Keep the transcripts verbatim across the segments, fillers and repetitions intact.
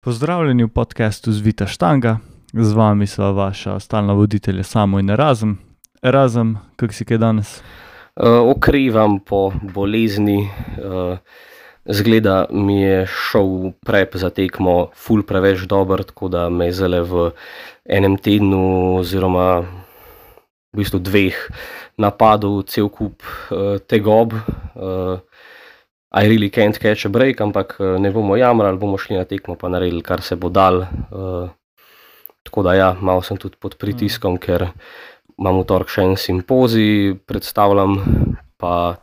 Pozdravljeni v podcastu Zvita štanga, z vami sva vaša stalna voditelja Samo in Erazem. Erazem, kako si kaj danes? Uh, okrevam po bolezni, uh, zgleda mi je šel prep za tekmo ful preveč dober, tako da me je zdajle v enem tednu oziroma v bistvu dveh napadov cel kup uh, tegob. Uh, I really can't catch a break, ampak ne bomo jamrali, bomo šli na tekmo pa naredili, kar se bo dal. Uh, tako da ja, malo sem tudi pod pritiskom, mm. ker imam v torek še en simpozij, predstavljam, pa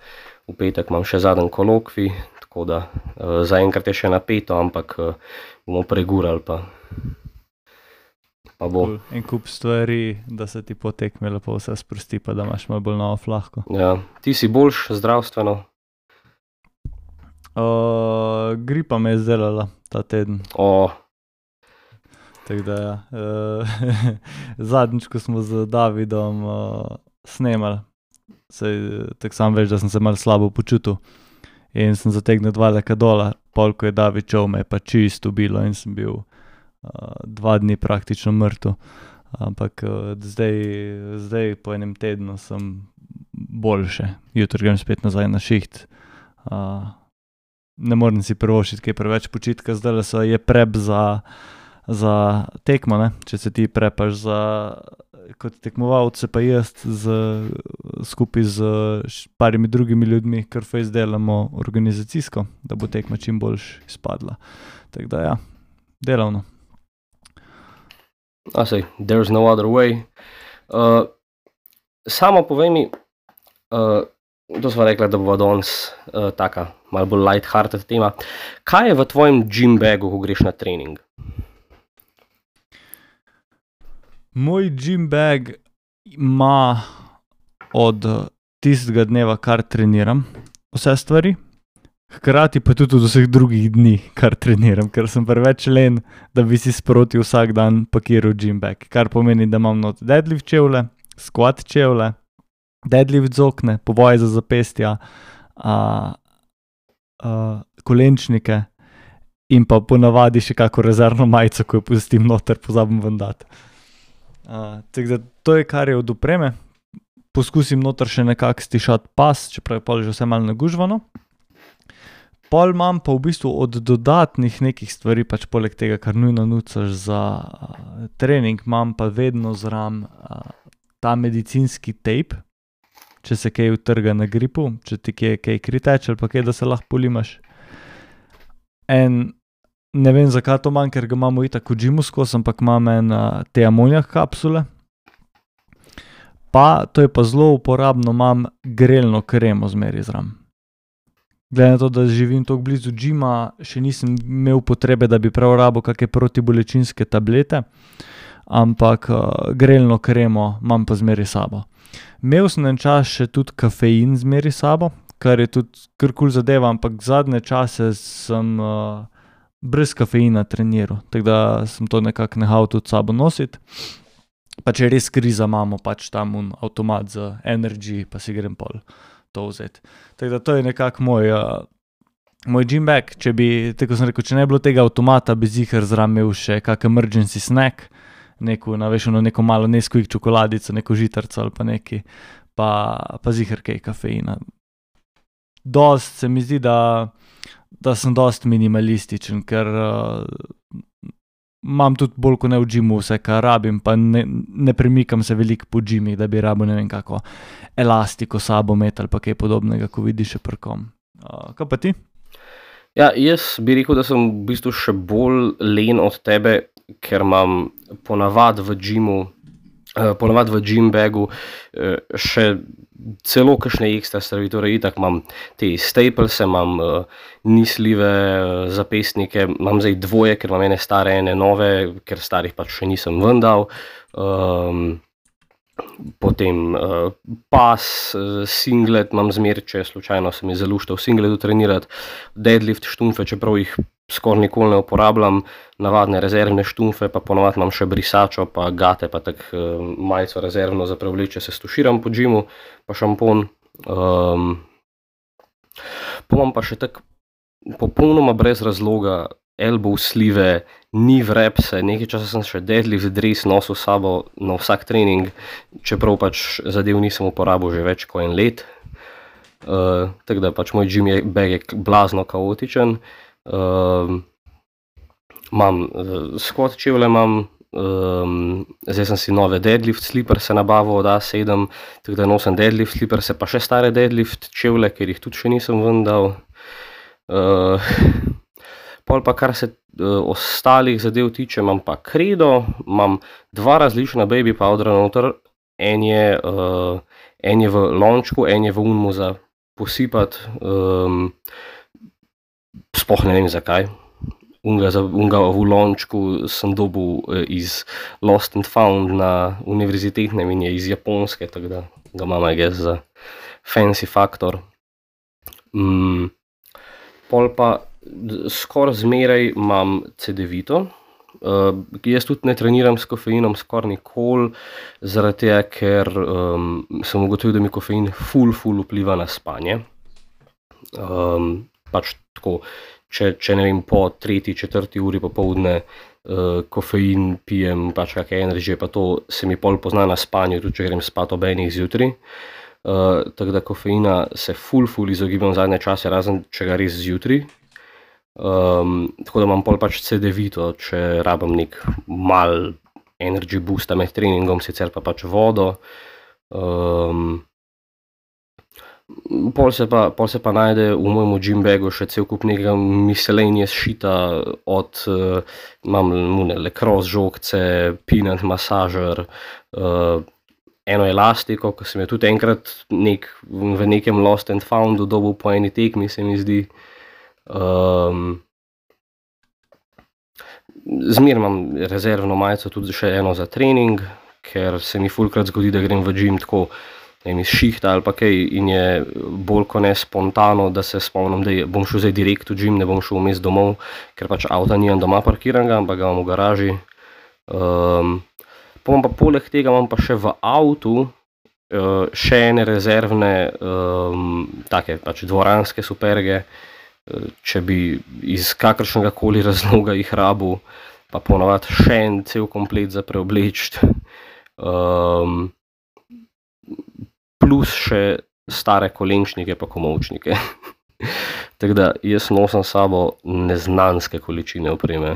v petek imam še zadnji kolokvij, tako da uh, zaenkrat je še napeto, ampak uh, bomo pregurali pa, pa bo. Cool. En kup stvari, da se ti po tekmi lepo vse sprosti, pa da imaš malo bolj novo flahko. Ja, ti si boljš zdravstveno? Uh, gripa me je zdelala ta teden. Oh. Tako da ja. Uh, zadnjič, ko smo z Davidom uh, snemali, sej, tako sam veš, da sem se malo slabo počutil in sem zategnil dva leka dola, pol ko je David čov, me je pa čisto ubilo in sem bil uh, dva dni praktično mrtev. Ampak uh, zdaj, zdaj po enem tednu sem boljše. Jutri grem spet nazaj na šiht. Uh, ne morem si privoščiti kaj preveč počitka, zdaj so je prep za, za tekmo, ne? Če se ti prepaš za kot tekmovalce, pa jaz z, skupaj z parimi drugimi ljudmi, kar fejs delamo organizacijsko, da bo tekma čim boljš izpadla. Tako da ja, delavno. I say, there's no other way. Uh, samo povej mi, uh, to sva rekla, da bova danes uh, taka malo bolj light-hearted tema. Kaj je v tvojem gym bagu, ko greš na trening? Moj gym bag ima od tistega dneva, kar treniram, vse stvari. Hkrati pa tudi od vseh drugih dni, kar treniram, ker sem preveč len, da bi si sproti vsak dan pakiral gym bag. Kar pomeni, da imam not deadlift čevlje, squat čevlje, deadlift zokne, povoje za zapestja, a, a, kolenčnike in pa ponavadi še kako rezervno majico, ko jo pustim noter, pozabim ven dati. Uh, tako da to je, kar je od opreme. Poskusim noter še nekako stišati pas, čeprav je pol že vse malo nagužvano. Pol imam pa v bistvu od dodatnih nekih stvari, pač poleg tega, kar nujno nucaš za uh, trening, imam pa vedno zram uh, ta medicinski tape, če se kaj utrga na gripu, če ti kaj, kaj kriteče ali pa kaj, da se lahko polimaš. En, ne vem zakaj to manj, ker ga imamo itak v gymu skos, ampak imam en uh, te amonijak kapsule. Pa, to je pa zelo uporabno, imam grelno kremo zmeri zram. Glede na to, da živim toliko blizu gyma, še nisem imel potrebe, da bi prav rabo kakšne protibolečinske tablete, ampak uh, grelno kremo imam pa zmeri sabo. Imel sem en čas še tudi kafein zmeri sabo, kar je tudi kar kul zadeva, ampak zadnje čase sem uh, brez kafeina treniral, tako da sem to nekako nehal tudi sabo nositi. Pa če res kriza imamo, pač tam un avtomat za energy, pa si grem pol to vzeti. Tako da to je nekako moj, uh, moj gym bag, če bi, tako sem rekel, če ne bilo tega avtomata, bi ziher zram imel še kak emergency snack, neko, naveš, ono, neko malo Nesquik čokoladico, neko žitarco ali pa neki, pa, pa ziher kaj kafeina. Dost se mi zdi, da, da sem dost minimalističen, ker uh, imam tudi bolj kot ne v gymu vse, kar rabim, pa ne, ne premikam se veliko po gymih, da bi rabil ne vem kako elastiko sabo met ali pa kaj podobnega, ko vidiš še prkom. Uh, kaj pa ti? Ja, jaz bi rekel, da sem v bistvu še bolj len od tebe, ker imam ponavad v gymu, uh, ponavad v gym bagu uh, še celo kakšne ekstra stvari, torej itak imam te staplese, imam uh, nisljive uh, zapestnike, imam zdaj dvoje, ker imam ene stare, ene nove, ker starih pač še nisem ven dal. Um, potem uh, pas, uh, singlet imam zmer, če slučajno se mi zalušta v singletu trenirati, deadlift štumfe, čeprav jih skoraj nikoli ne uporabljam, navadne rezervne štumfe, pa ponovadi imam še brisačo, pa gate, pa tak uh, majico rezervno za prevleče, se stuširam po gymu, pa šampon. Um, pa imam pa še tak popolnoma brez razloga elbow slive, ni vrepse, nekaj časa sem še deadlift dres nosil s sabo na vsak trening, čeprav pač zadev nisem uporabil že več kot en let. Uh, tako da pač moj gym bag je blazno kaotičen. Uh, imam uh, squat čevlje, imam, um, zdaj sem si nove deadlift sliperse nabavil od A sedem, tako da nosim deadlift sliperse, pa še stare deadlift čevlje, ker jih tudi še nisem ven dal. Uh, pol pa kar se uh, ostalih zadev tiče, imam pa Credo, imam dva različna baby powdera noter, en je, uh, en je v lončku, en je v unmu za posipati, um, sploh ne vem zakaj. Unga, za, unga v lončku sem dobil uh, iz Lost and Found na univerzitetnem in je iz Japonske, tako da ga imam, I guess, za fancy faktor. Mm. Pol pa skoraj zmeraj imam Cedevito. Uh, jaz tudi ne treniram s kofeinom skoraj nikoli, zaradi tega, ker um, sem ugotovil, da mi kofein ful, ful vpliva na spanje. Um, pač tako, če, če ne vem, po tretji, četrti uri popoldne uh, kofein pijem, pač kakšne energy, pa to se mi pol pozna na spanju, tudi če grem spat ob enih zjutraj. Uh, tako da kofeina se ful, ful izogibam zadnje čase, razen če ga res zjutraj. Um, tako da imam pol pač Cedevito, če rabim nek mal energy boosta med treningom, sicer pa pač vodo. Um, pol, se pa, pol se pa najde v mojem gym bagu še cel kup nekega miscellaneous shita, od uh, imam mune, lacrosse žogce, peanut masažer, uh, eno elastiko, ko sem jo tudi enkrat nek, v nekem Lost and Foundu dobil po eni tekmi, se mi zdi. Um, Zmer imam rezervno majico tudi še eno za trening, ker se mi fulkrat zgodi, da grem v gym tako, ne vem, iz šihta ali pa kaj in je bolj kot ne spontano, da se spomnim, da bom šel zdaj direkt v gym, ne bom šel vmes domov, ker pač avta nimam doma parkiranega, ampak ga imam v garaži. Um, pa pa poleg tega imam pa še v avtu uh, še ene rezervne, um, take pač dvoranske superge, če bi iz kakršnega koli razloga jih rabil, pa ponavadi še en cel komplet za preobleči, um, plus še stare kolenčnike pa komolčnike. Tako da jaz nosim s sabo neznanske količine opreme.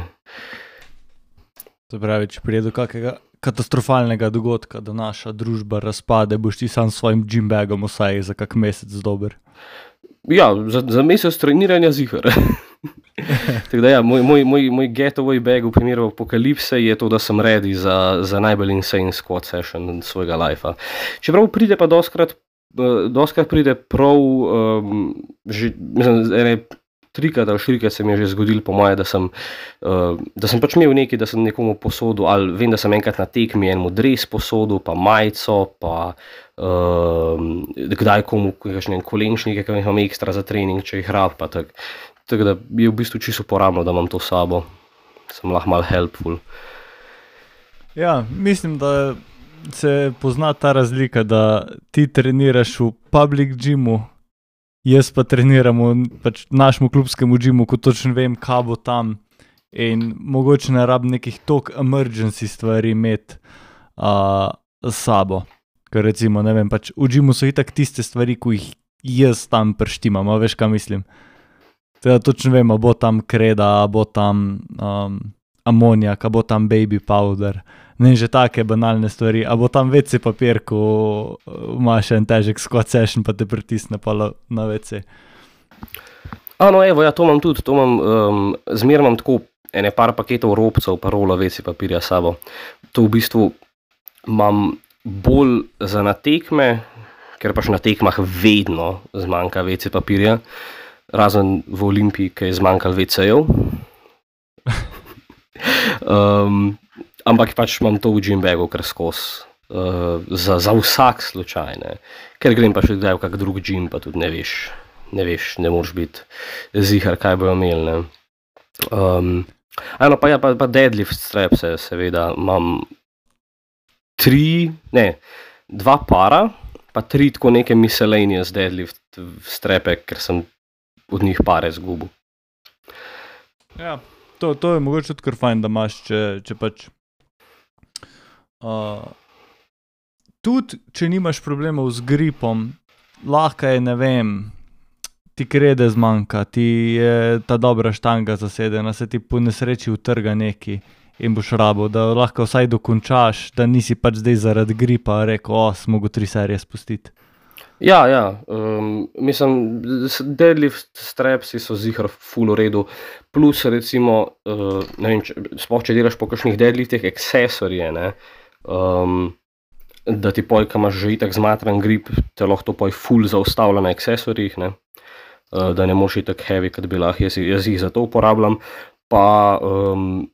To pravi, če prije do kakega katastrofalnega dogodka, da naša družba razpade, boš ti sam s svojim gym bagom vsaj za kak mesec dober. Ja, za, za mesec treniranja zihar. Tako da ja, moj, moj, moj, moj getaway bag v primeru apokalipse je to, da sem ready za, za najbolj insane squat session svojega lifea. Čeprav pride pa doskrat, doskrat pride prav, um, že, mislim, ene trikrat ali štirikrat se mi je že zgodilo po moje, da sem, uh, da sem pač imel nekaj, da sem nekomu posodil, ali vem, da sem enkrat na tekmi enemu dres posodil, pa majico, pa uh, kdaj komu kakšne kolenčnike, ki imam ekstra za trening, če jih rab, pa tako. Tako da je v bistvu čisto uporabno, da imam to s sabo. Sem lahko malo helpful. Ja, mislim, da se pozna ta razlika, da ti treniraš v public gymu, jaz pa treniram v pač našemu klubskemu gymu, ko točno vem, kaj bo tam in mogoče ne rabim nekih tok emergency stvari imeti uh, s sabo. Ker recimo, ne vem, pač v gymu so itak tiste stvari, ko jih jaz tam prštimam, a veš, kaj mislim. Teda točno vem, a bo tam kreda, a bo tam um, amonijak, a bo tam baby powder, ne že take banalne stvari, a bo tam ve ce papir, ko imaš en težek squat session, pa te pritisne pa na ve ce. Ano, evo, ja, to imam tudi, to imam, um, zmer imam tako ene par paketov robcev, pa rola ve ce papirja s sabo. To v bistvu imam bolj za na tekme, ker pač na tekmah vedno zmanjka ve ce papirja, razen v Olimpiji, ki je zmanjkal ve cejev. um, ampak pač imam to v gym bagu kar skozi, uh, za, za vsak slučaj, ne. Ker grem pa še kdaj v kak drug gym, pa tudi ne veš, ne veš, ne moraš biti zihar, kaj bojo imeli, ne. Um, ano, pa ja, pa, pa deadlift strapse, seveda, imam tri, ne, dva para, pa tri tako neke miscellaneous deadlift strape, ker sem od njih pare zgubil. Ja, To, to je mogoče tudi kar fajn, da imaš, če, če pač uh, tudi, če nimaš problemov z gripom, lahko je, ne vem, ti krede zmanjka, ti je ta dobra štanga zasedena, se ti po nesreči utrga neki in boš rabo, da lahko vsaj dokončaš, da nisi pač zdaj zaradi gripa rekel, o, sem mogel tri serije spustiti. Ja, ja, um, mislim, deadlift strapsi so zihar ful v redu, plus recimo, uh, ne vem, če, sploh če delaš po kakšnih deadliftih, aksesorije, ne, um, da ti poj, ko imaš že itak zmatran grip, te lahko to poj ful zaustavlja na aksesorijih, ne, uh, da ne moš itak heavy, kot bi lahko, jaz, jaz jih za to uporabljam, pa um,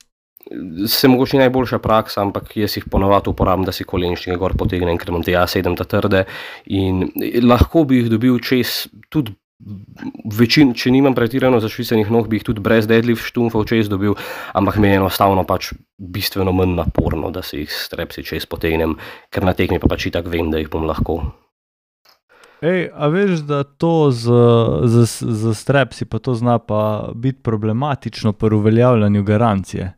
se mogoče najboljša praksa, ampak jaz jih ponovadi uporabljam, da si kolenčnike gor potegnem, ker imam te A sedem ta trde in lahko bi jih dobil čez tudi večin, če nimam pretirano zašvicenih nog, bi jih tudi brez deadlift štumfov čez dobil, ampak mi je enostavno pač bistveno manj naporno, da si jih strepsi čez potegnem, ker na tekmi pa pač itak vem, da jih bom lahko. Ej, a veš, da to z, z, z strepsi pa to zna pa biti problematično pri uveljavljanju garancije?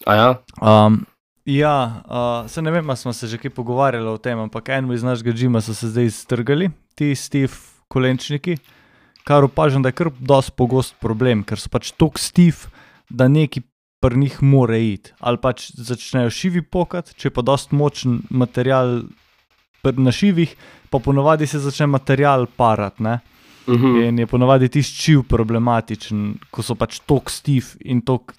A ja? Um, ja, uh, se ne vem, a smo se že kaj pogovarjali o tem, ampak eno iz našega džima so se zdaj strgali, ti stiff kolenčniki, kar opažam, da je kar dosti pogost problem, ker so pač tok stiff, da neki pri njih more iti. Ali pač začnejo šivi pokat, če je pa dosti močen material na šivih, pa ponovadi se začne material parat, ne? Uh-huh. In je ponovadi tisti šiv problematičen, ko so pač tok stiff in tok...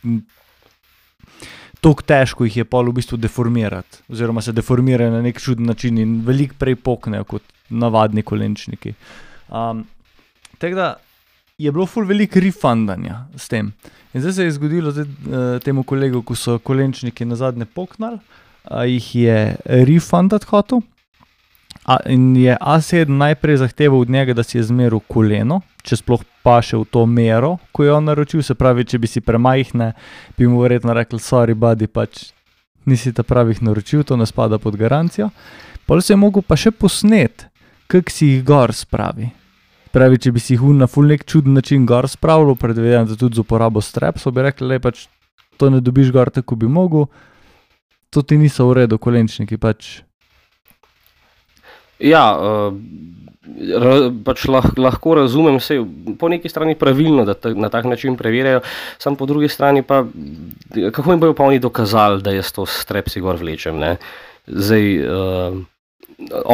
Toliko težko jih je pol v bistvu deformirati, oziroma se deformirajo na nek čuden način in veliko prej poknejo kot navadni kolenčniki. Um, tako da je bilo ful veliko refundanja s tem. In zdaj se je zgodilo zdaj, uh, temu kolegu, ko so kolenčniki nazadnje poknali, uh, jih je refundati hotel. A, in je A sedem najprej zahteval od njega, da si je zmeril koleno, če sploh paše v to mero, ko je on naročil, se pravi, če bi si premajhne, bi mu verjetno rekli, sorry buddy, pač nisi ta pravih naročil, to ne spada pod garancijo. Potem se je mogel pa še posnet, kak si jih gor spravi. Pravi, če bi si jih na ful nek čuden način gor spravil, predvidevam, da tudi z uporabo strepsov, bi rekli, le pač to ne dobiš gor tako bi mogel, to ti niso v redu kolenčniki, pač. Ja, uh, ra, pač lah, lahko razumem se po neki strani pravilno, da ta, na tak način preverjajo, sam po drugi strani pa, kako jim bojo pa oni dokazali, da jaz to strepsi gor vlečem, ne? Zdaj, uh,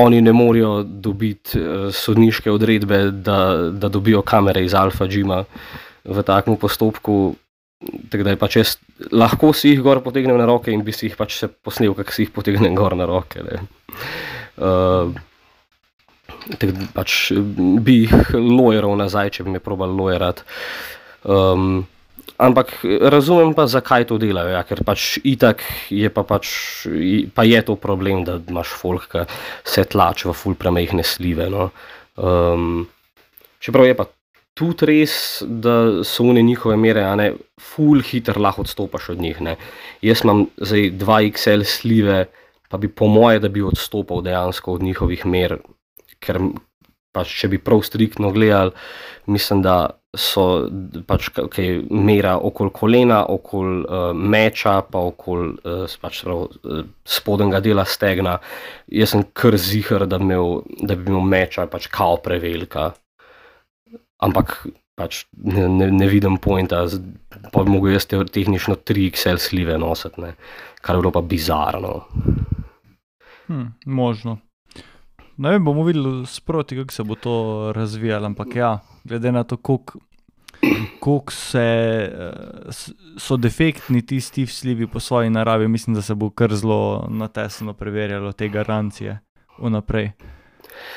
oni ne morejo dobiti uh, sodniške odredbe, da, da dobijo kamere iz Alfa Gima v takem postopku, tako da je pač jaz, lahko si jih gor potegnem na roke in bi si jih pač se posnel, kak si jih potegnem gor na roke, ne? Uh, Tako pač bi jih lojeral nazaj, če bi me probal lojerat. Um, ampak razumem pa, zakaj to delajo, ja, ker pač itak je pa pač, pa je to problem, da imaš folk, ki se tlač v ful premejhne slive, no. Um, čeprav je pa tudi res, da so one njihove mere, a ne, ful hiter lahko odstopaš od njih, ne. Jaz imam zdaj dva iks el slive, pa bi po moje, da bi odstopal dejansko od njihovih mer, ker pač, če bi prav striktno gledali, mislim, da so pač okay, mera okoli kolena, okoli uh, meča, pa okoli uh, pač, prav, uh, spodnjega dela stegna. Jaz sem kar ziher, da, imel, da bi imel meča pač kao prevelika. Ampak pač ne, ne, ne vidim pointa, pa bi mogel jaz tehnično tri iks el slive nositi, ne? Kar je bilo pa bizarno. Hm, možno. Ne vem, bomo videli sproti, kako se bo to razvijalo, ampak ja, glede na to, koliko, koliko se, so defektni ti stiff slivi po svoji naravi, mislim, da se bo kar zelo natesno preverjalo te garancije vnaprej.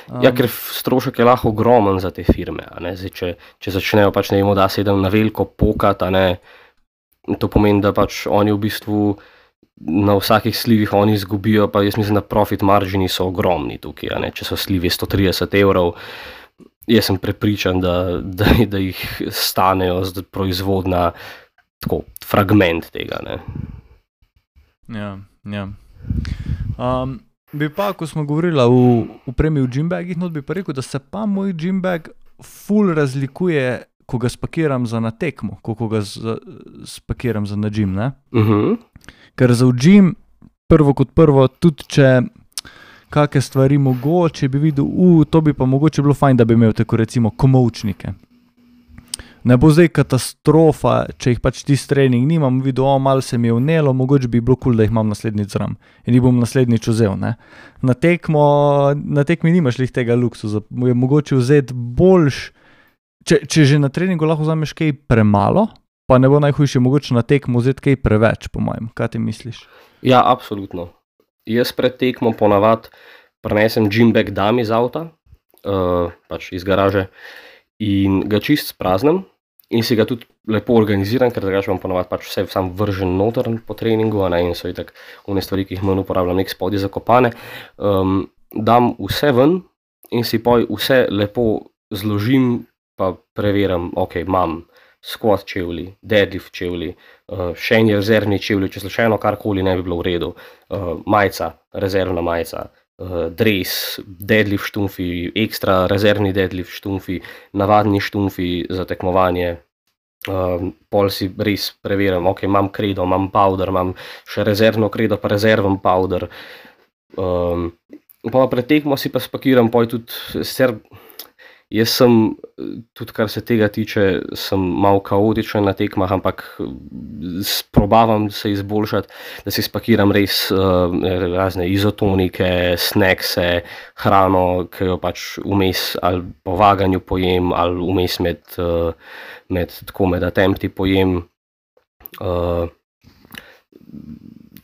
Um, ja, ker strošek je lahko ogromen za te firme, a ne? Zdaj, če, če začnejo pač ne vem, da se na veliko pokat, a ne, to pomeni, da pač oni v bistvu na vsakih slivih oni izgubijo, pa jaz mislim, da profit margini so ogromni tukaj, a ne? Če so slivi sto trideset evrov, jaz sem prepričan, da, da, da jih stanejo z proizvodna tako, fragment tega, ne? Ja, ja. Um, bi pa, ko smo govorili v, v premiju gymbagih, not bi pa rekel, da se pa moj gymbag ful razlikuje ko ga spakiram za na tekmo, ko ga z, spakiram za na gym, ne? Uh-huh. Ker za v gym, prvo kot prvo, tudi če kakšne stvari mogoče bi videl, uh, to bi pa mogoče bilo fajn, da bi imel tako recimo komolčnike. Ne bo zdaj katastrofa, če jih pač tisti trening nimam, videl, o, malo se mi je vnelo, mogoče bi bilo kul, cool, da jih imam naslednjič zram. In jih bom naslednjič vzel, ne. Na tekmo, na tekmi nimaš lih tega luksuza, je mogoče vzeti boljš, če, če že na treningu lahko vzameš kaj premalo, pa ne bo najhujše mogoče na tekmo vzeti kaj preveč, po mojem. Kaj ti misliš? Ja, absolutno. Jaz pred tekmo ponavad prinesem gym bag dam iz avta, uh, pač iz garaže, in ga čist spraznem in si ga tudi lepo organiziram, ker drugače imam ponavad pač vse sam vržen noter po treningu, a ne, in so itak one stvari, ki jih manj uporabljam, nek spodje zakopane. Um, dam vse ven in si poj vse lepo zložim, pa preveram, ok, imam squat čevlji, deadlift čevlji, uh, še en rezervni čevlji, če slučajno karkoli ne bi bilo v redu, uh, majica, rezervna majica, Uh, dres, deadlift štumfi, ekstra rezervni deadlift štumfi, navadni štumfi za tekmovanje. Uh, pol si res preverim, ok, imam kredo, imam powder, imam še rezervno kredo, pa rezerven powder. Um, pa pred tekmo si pa spakiram, poj tudi, ser, jaz sem, tudi kar se tega tiče, sem malo kaotičen na tekmah, ampak probavam se izboljšati, da si spakiram res uh, razne izotonike, snackse, hrano, ki jo pač vmes ali po vaganju pojem, ali vmes med, uh, med tako med attempti pojem. Uh,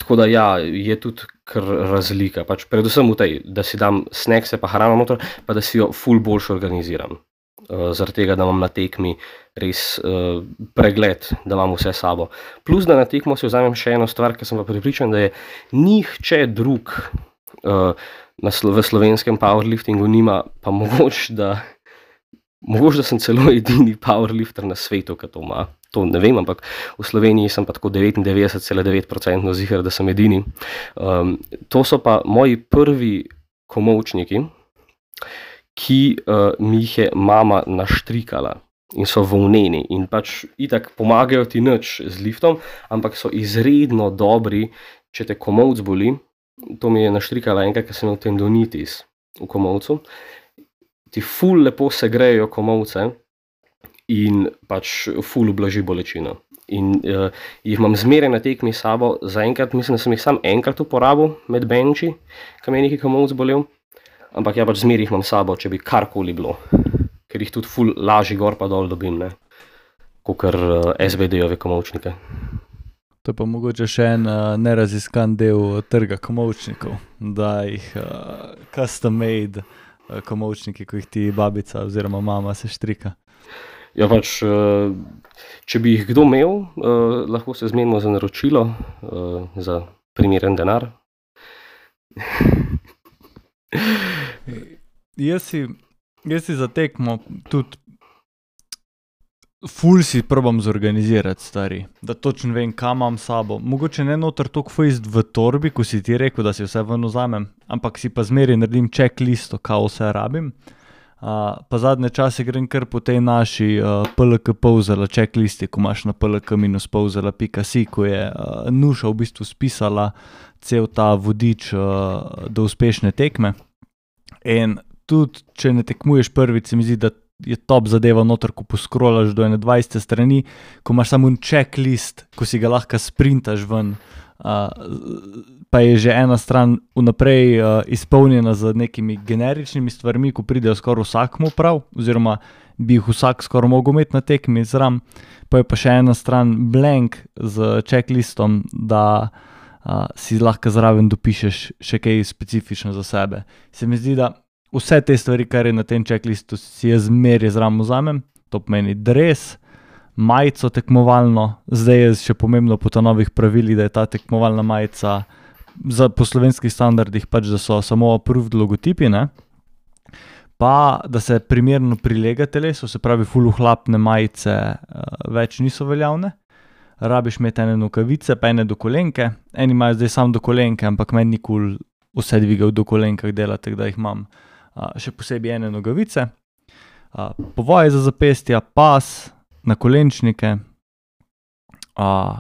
tako da ja, je tudi kar razlika, pač predvsem v tej, da si dam snackse pa hrano noter, pa da si jo ful boljše organiziram. Uh, zaradi tega, da imam na tekmi res uh, pregled, da imam vse sabo. Plus, da na tekmo si vzamem še eno stvar, ker sem pa pripričan, da je nihče drug uh, na, v slovenskem powerliftingu nima, pa mogoče, da mogoče, da sem celo edini powerlifter na svetu, ki to ima. To ne vem, ampak v Sloveniji sem pa tako devetindevetdeset celih devet procenta ziher, da sem edini. Um, to so pa moji prvi komolčniki, ki uh, mi jih je mama naštrikala in so volneni in pač itak pomagajo ti nič z liftom, ampak so izredno dobri, če te komolc boli. To mi je naštrikala enkrat, ker sem imel tendonitis v komolcu. Ti ful lepo segrejejo komolce in pač ful ublaži bolečino. In uh, jih imam zmeraj na tekmi s sabo, zaenkrat mislim, da sem jih sam enkrat uporabil med benči, ko mi je neki komolc bolel, ampak ja pač zmeraj jih imam s sabo, če bi karkoli bilo, ker jih tudi ful lažji gor pa dol dobim, ne, kakor uh, S B D-ove komolčnike. To je pa mogoče še en uh, neraziskan del trga komolčnikov, da jih uh, custom made uh, komolčniki, ko jih ti babica oziroma mama se štrika. Ja, pač, če bi jih kdo imel, lahko se zmenimo za naročilo, za primeren denar. Jaz si, jaz si za tekmo tudi ful si probam zorganizirati, stari, da točno vem, kam imam sabo. Mogoče ne noter toliko fejst v torbi, ko si ti rekel, da si vse ven vzamem, ampak si pa zmeri naredim checklisto, kao vse rabim. Uh, pa zadnje čase grem kar po tej naši uh, P L K Povzela checklisti, ko imaš na p l k dash povzela pika si, ko je uh, Nuša v bistvu spisala cel ta vodič uh, do uspešne tekme. In tudi, če ne tekmuješ prvič, se mi zdi, da je top zadeva noter, ko poskrolaš do ene dvajset strani, ko imaš samo un checklist, ko si ga lahko sprintaš ven, uh, pa je že ena stran vnaprej uh, izpolnjena z nekimi generičnimi stvarmi, ko pridejo skoraj vsakmu prav, oziroma bi jih vsak skoraj mogel imeti na tekmi zram, pa je pa še ena stran blank z checklistom, da uh, si lahko zraven dopišeš še kaj specifično za sebe. Se mi zdi, da vse te stvari, kar je na tem checklistu, si jaz zmeraj zraven vzamem, to pomeni dres, majico tekmovalno, zdaj je še pomembno po ta novih pravilih, da je ta tekmovalna majica za, po slovenskih standardih pač, da so samo approved logotipi, ne? Pa da se primerno prilega telesu, se pravi ful ohlapne majice uh, več niso veljavne. Rabiš imeti ene nogavice, pa ene do kolenke, eni imajo zdaj sam do kolenke, ampak meni ni kul vse dvigel do kolenkah delati, da jih imam uh, še posebej ene nogavice. Uh, povoje za zapestja, pas, nakolenčnike, uh,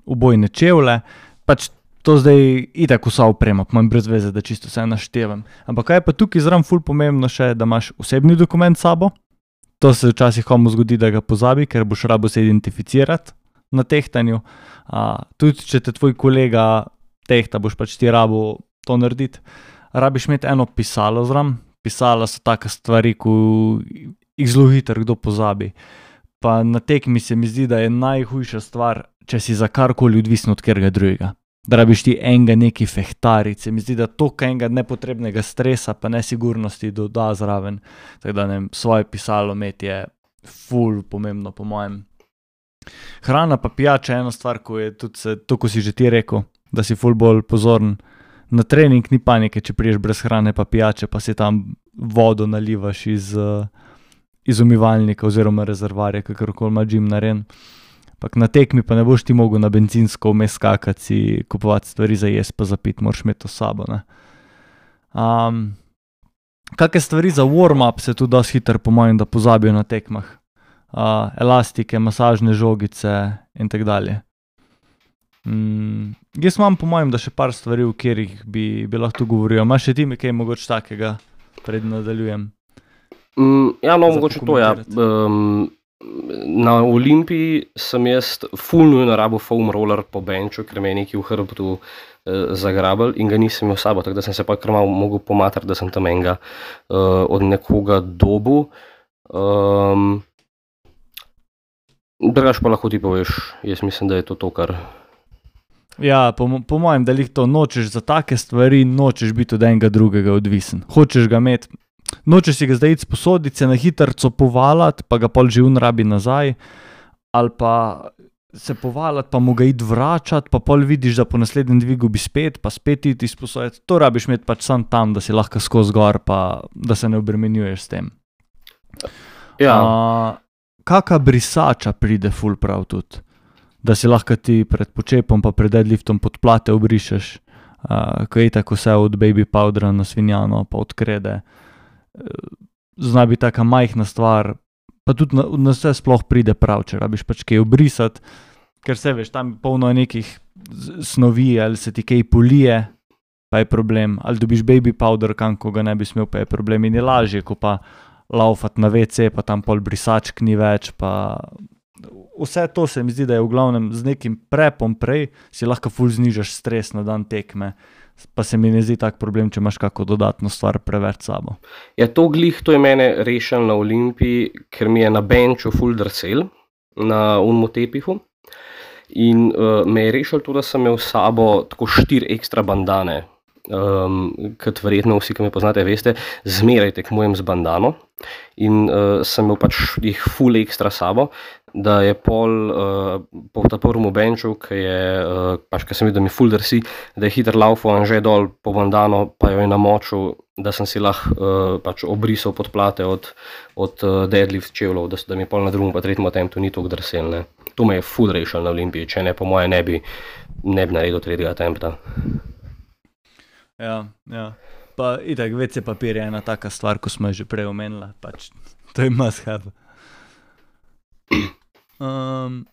ubojne čevlje, pač to zdaj itak vsa oprema, pa imam brez veze, da čisto vse naštevam. Ampak kaj je pa tukaj zraven ful pomembno še, da imaš osebni dokument s sabo. To se včasih komu zgodi, da ga pozabi, ker boš rabo se identificirati na tehtanju. Uh, tudi če te tvoj kolega tehta, boš pač ti rabo to narediti. Rabiš imeti eno pisalo zraven. Pisala so take stvari, ko jih zelo hitro kdo pozabi. Pa na tekmi se mi zdi, da je najhujša stvar, če si za karkoli odvisen od katerega drugega. Da rabiš ti enega neki fehtariti. Se mi zdi, da toliko enega nepotrebnega stresa pa nesigurnosti doda zraven. Tako da ne vem, svoje pisalo imeti je ful pomembno po mojem. Hrana pa pijača je ena stvar, ko je tudi se, to, ko si že ti rekel, da si ful bolj pozoren. Na trening ni panike, če priješ brez hrane pa pijače, pa si tam vodo nalivaš iz, iz umivalnika oziroma rezervarja, kakorkoli ima gym narejen. Pak na tekmi pa ne boš ti mogel na bencinsko vmes skakati, si kupovati stvari za jesti pa za piti, moraš imeti to s sabo. Ne? Um, Kakšne stvari za warm-up se tudi dosti hitro po mojem, da pozabijo na tekmah. Uh, elastike, masažne žogice in tak dalje. Mm, jaz imam po mojem, da še par stvari, v katerih bi, bi lahko govoril. Imaš še ti mi kaj mogoče takega, pred nadaljujem? Mm, ja, no, mogoče to, ja. Um, na Olimpiji sem jaz ful nujno rabo foam roller po benču, ker me je nekaj v hrbtu uh, zagrabal in ga nisem imel s sabo, tako da sem se pa kar malo mogel pomatrati, da sem tam enega uh, od nekoga dobu. Um, drugač pa lahko ti poveš, jaz mislim, da je to to, kar... Ja, po, po mojem, da lih to nočeš za take stvari, nočeš biti od enega drugega odvisen. Hočeš ga imeti, nočeš si ga zdaj iti sposoditi, se na hitrco povalati, pa ga pol že un rabi nazaj, ali pa se povalati, pa mu ga iti vračati, pa pol vidiš, da po naslednjem dvigu bi spet, pa spet iti sposoditi. To rabiš imeti pač sam tam, da si lahko skozi gor, pa da se ne obremenjuješ s tem. Ja. Uh, kaka brisača pride ful prav tudi? Da si lahko ti pred počepom pa pred deadliftom podplate obrišeš, uh, ko je tako vse od baby powdera na svinjano pa od krede. Uh, zna biti taka majhna stvar, pa tudi na, na vse sploh pride prav, če rabiš pač kaj obrisati, ker se veš, tam polno je nekih snovi, ali se ti kaj polije, pa je problem, ali dobiš baby powder, kam ko ga ne bi smel, pa je problem in je lažje, ko pa laufati na ve ce, pa tam pol brisačk ni več, pa... Vse to se mi zdi, da je v glavnem z nekim prepom prej, si lahko ful znižaš stres na dan tekme, pa se mi ne zdi tak problem, če imaš kako dodatno stvar preveč sabo. Ja, to glih, to je mene rešil na Olimpiji, ker mi je na benču ful drsel, na unmu tepihu, in uh, me je rešil to, da sem imel s sabo tako štiri ekstra bandane, um, kot verjetno vsi, ki me poznate, veste, zmeraj tekmujem z bandano in uh, sem imel pač jih ful ekstra sabo, da je pol uh, po ta prvem benču, ki je, uh, pač, ki sem videl, da mi ful drsi, da je hiter laufal in že dol po bandano, pa jo je namočil, da sem si lahko uh, pač obrisal podplate od, od uh, deadlift čevljev, da, da mi pol na drugem pa tretjem attemptu ni toliko drsel, ne. To me je ful rešil na Olimpiji, če ne, po moje ne bi, ne bi naredil tretjega attempta. Ja, ja. Pa itak, ve ce papir je ena taka stvar, ko smo že prej omenila, pač to je must have. Um,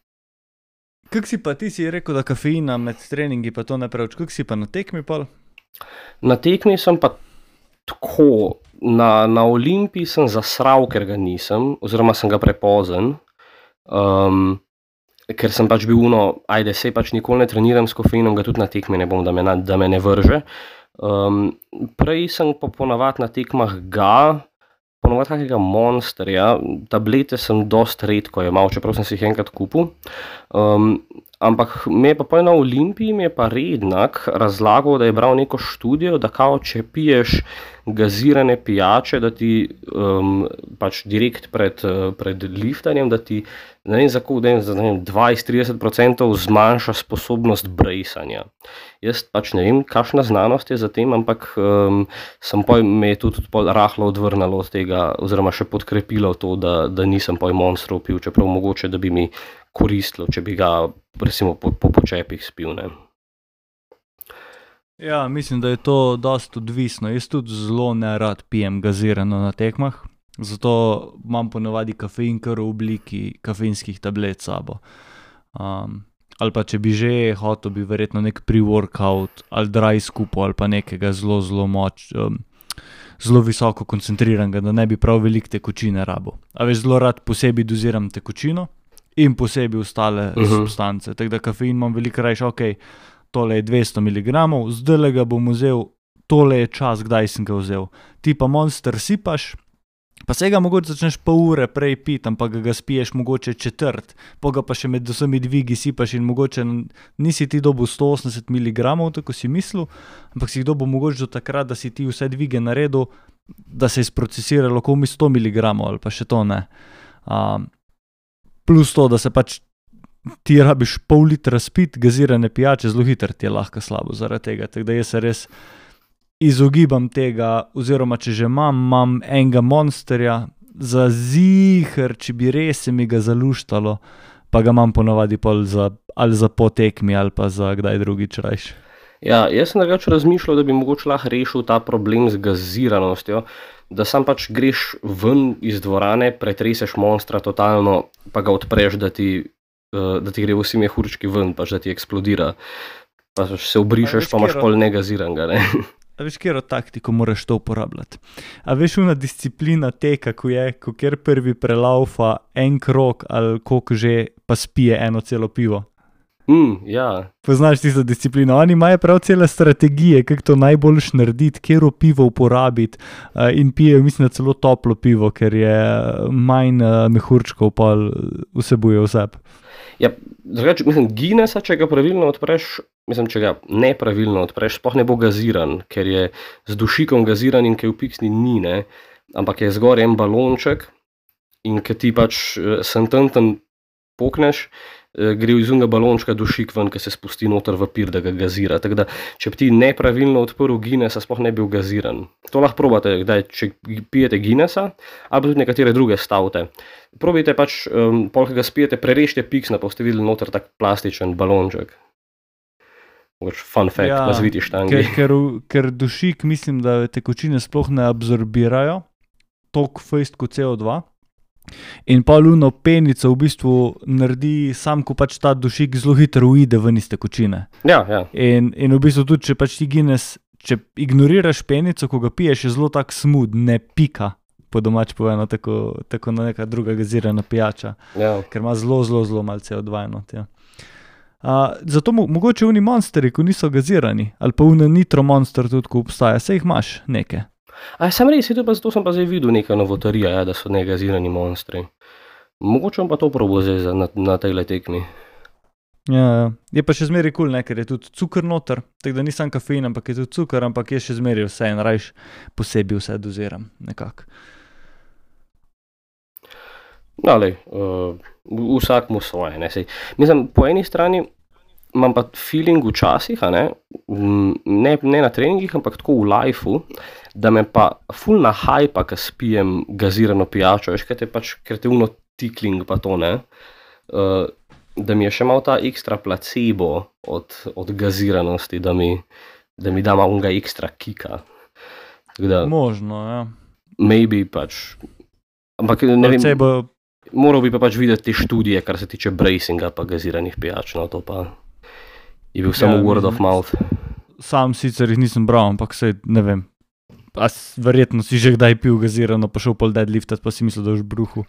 kak si pa, ti si rekel, da kafeina med treningi pa to ne preveč, kak si pa na tekmi pol? Na tekmi sem pa tako, na, na Olimpiji sem zasral, ker ga nisem, oziroma sem ga prepozen, um, ker sem pač bil uno, ajde, sej pač nikoli ne treniram s kofeinom, ga tudi na tekmi ne bom, da me, na, da me ne vrže. Um, prej sem pa ponavad na tekmah ga, ponovat kakega monsterja, tablete sem dost redko jemal, čeprav sem si jih enkrat kupil. Um, ampak me je pa pa na Olimpiji mi je pa Rednak razlagal, da je bral neko študijo, da kao, če piješ gazirane pijače, da ti um, pač direkt pred, pred liftanjem, da ti ne vem, za dvajset do trideset procentov zmanjša sposobnost brejsanja. Jaz pač ne vem, kakšna znanost je za tem, ampak um, sem poj, me je tudi rahlo odvrnalo od tega, oziroma še podkrepilo to, da, da nisem poj monstrov pil, čeprav mogoče, da bi mi koristilo, če bi ga recimo po, po počepih spil, ne. Ja, mislim, da je to dosti odvisno. Jaz tudi zelo nerad pijem gazirano na tekmah. Zato imam ponavadi kafein kar v obliki kafeinskih tablet s sabo. Um, ali pa če bi že hotel, bi verjetno nek pre-workout ali dry skupo ali pa nekega zelo, zelo moč, um, zelo visoko koncentriranega, da ne bi prav veliko tekočine rabo. A veš, zelo rad posebej doziram tekočino in posebej ostale uh-huh. substance. Tako da kafein imam veliko rajš, ok, tole je dvesto miligramov, zdajle ga bom vzel, tole je čas, kdaj sem ga vzel. Ti pa Monster sipaš, pa se ga mogoče začneš pol ure prej piti, ampak ga spiješ mogoče četrt, pa ga pa še med vsemi dvigi sipaš in mogoče nisi ti dobil sto osemdeset miligramov, tako si mislil, ampak si jih dobil mogoče do takrat, da si ti vse dvige naredil, da se je sprocesiralo komi sto miligramov ali pa še to ne. Um, plus to, da se pač ti rabiš pol litra spiti, gazirane pijače, zelo hitro ti je lahko slabo zaradi tega, tako da jaz se res izogibam tega, oziroma če že imam, imam enega Monsterja, za ziher, če bi res se mi ga zaluštalo, pa ga imam ponavadi pol za, ali za po tekmi, ali pa za kdaj drugič rajš. Ja, jaz sem drugače razmišljal, da bi mogoče lahko rešil ta problem z gaziranostjo, da sam pač greš ven iz dvorane, pretreseš Monstra totalno, pa ga odpreš, da ti, da ti gre vsi mehurčki ven, pač da ti eksplodira. Pa se obrišeš, pa imaš pol negaziranga, ne. A veš, kjero taktiko moraš to uporabljati? A veš, una disciplina teka, ko je, ko kjer prvi prelaufa en krog ali koliko že, pa spije eno celo pivo? Mm, ja. Poznaš tisto disciplino? Oni imajo prav cele strategije, kako to najboljš narediti, kjero pivo uporabiti uh, in pijejo, mislim, celo toplo pivo, ker je manj uh, mehurčkov pa vsebuje v sebi. Ja, drugače, mislim, Guinnessa, če ga pravilno odpreš, mislim, če ga nepravilno odpreš, sploh ne bo gaziran, ker je z dušikom gaziran in kaj v piksni ni, ne, ampak je zgor en balonček in ke ti pač sentanten pokneš, gre iz unega balončka dušik ven, ki se spusti noter v pir, da ga gazira. Tako da, če bi ti nepravilno odprl Guinnessa, sploh ne bil gaziran. To lahko probate, kdaj, če pijete Guinnessa, ali pa tudi nekatere druge stavte. Probajte pač, um, pol, ki ga spijete, prerežite piksna, pa boste videli noter tak plastičen balonček. Mogoče fun fact, ja, na zviti štangi. Ker, ker, ker dušik, mislim, da tekočine sploh ne absorbirajo toliko fejst kot C O dva. In pa luno penico v bistvu naredi sam, ko pač ta dušik zelo hitro uide ven iz tekočine. Ja, ja. In, in v bistvu tudi, če pač ti Guinness, če ignoriraš penico, ko ga piješ, je zelo tak smooth, ne pika, po domač povedano, tako, tako na neka druga gazirana pijača, ja. Ker ima zelo, zelo, zelo malo C O dva not, ja. Uh, zato mo mogoče oni monsteri, ko niso gazirani, ali pa oni nitro monster tudi, ko obstaja, se jih imaš neke. A sem res, to, pa, to sem pa zdaj videl neka novotarija, ja, da so negazirani monstri. Mogoče bom pa to probal zdaj na, na tejle tekmi. Ja, ja. Je pa še zmeri kul, cool, ker je tudi cukor noter, tako da ni sam kafein, ampak je tudi cukor, ampak je še zmeri vse in rajš posebej vse doziram, nekako. No, lej, uh, vsak mu svoje, ne, sej. Mislim, po eni strani imam pa feeling včasih, a ne, ne, ne na treningih, ampak tako v lifeu, da me pa ful na hajpa, ko spijem gazirano pijačo, veš, ker te pač, ker te uno tikling pa to, ne, uh, da mi je še malo ta ekstra placebo od, od gaziranosti, da mi, da mi da malo unga ekstra kika. Da, možno, ja. Maybe pač, ampak ne vem, Placebo... moral bi pa pač videti te študije, kar se tiče bracinga pa gaziranih pijač, no to pa je bil samo ja, word of mouth. Sam sicer jih nisem bral, ampak sej, ne vem, a verjetno si že kdaj pil gazirano, pa šel pol deadliftat, pa si mislil, da už bruhu.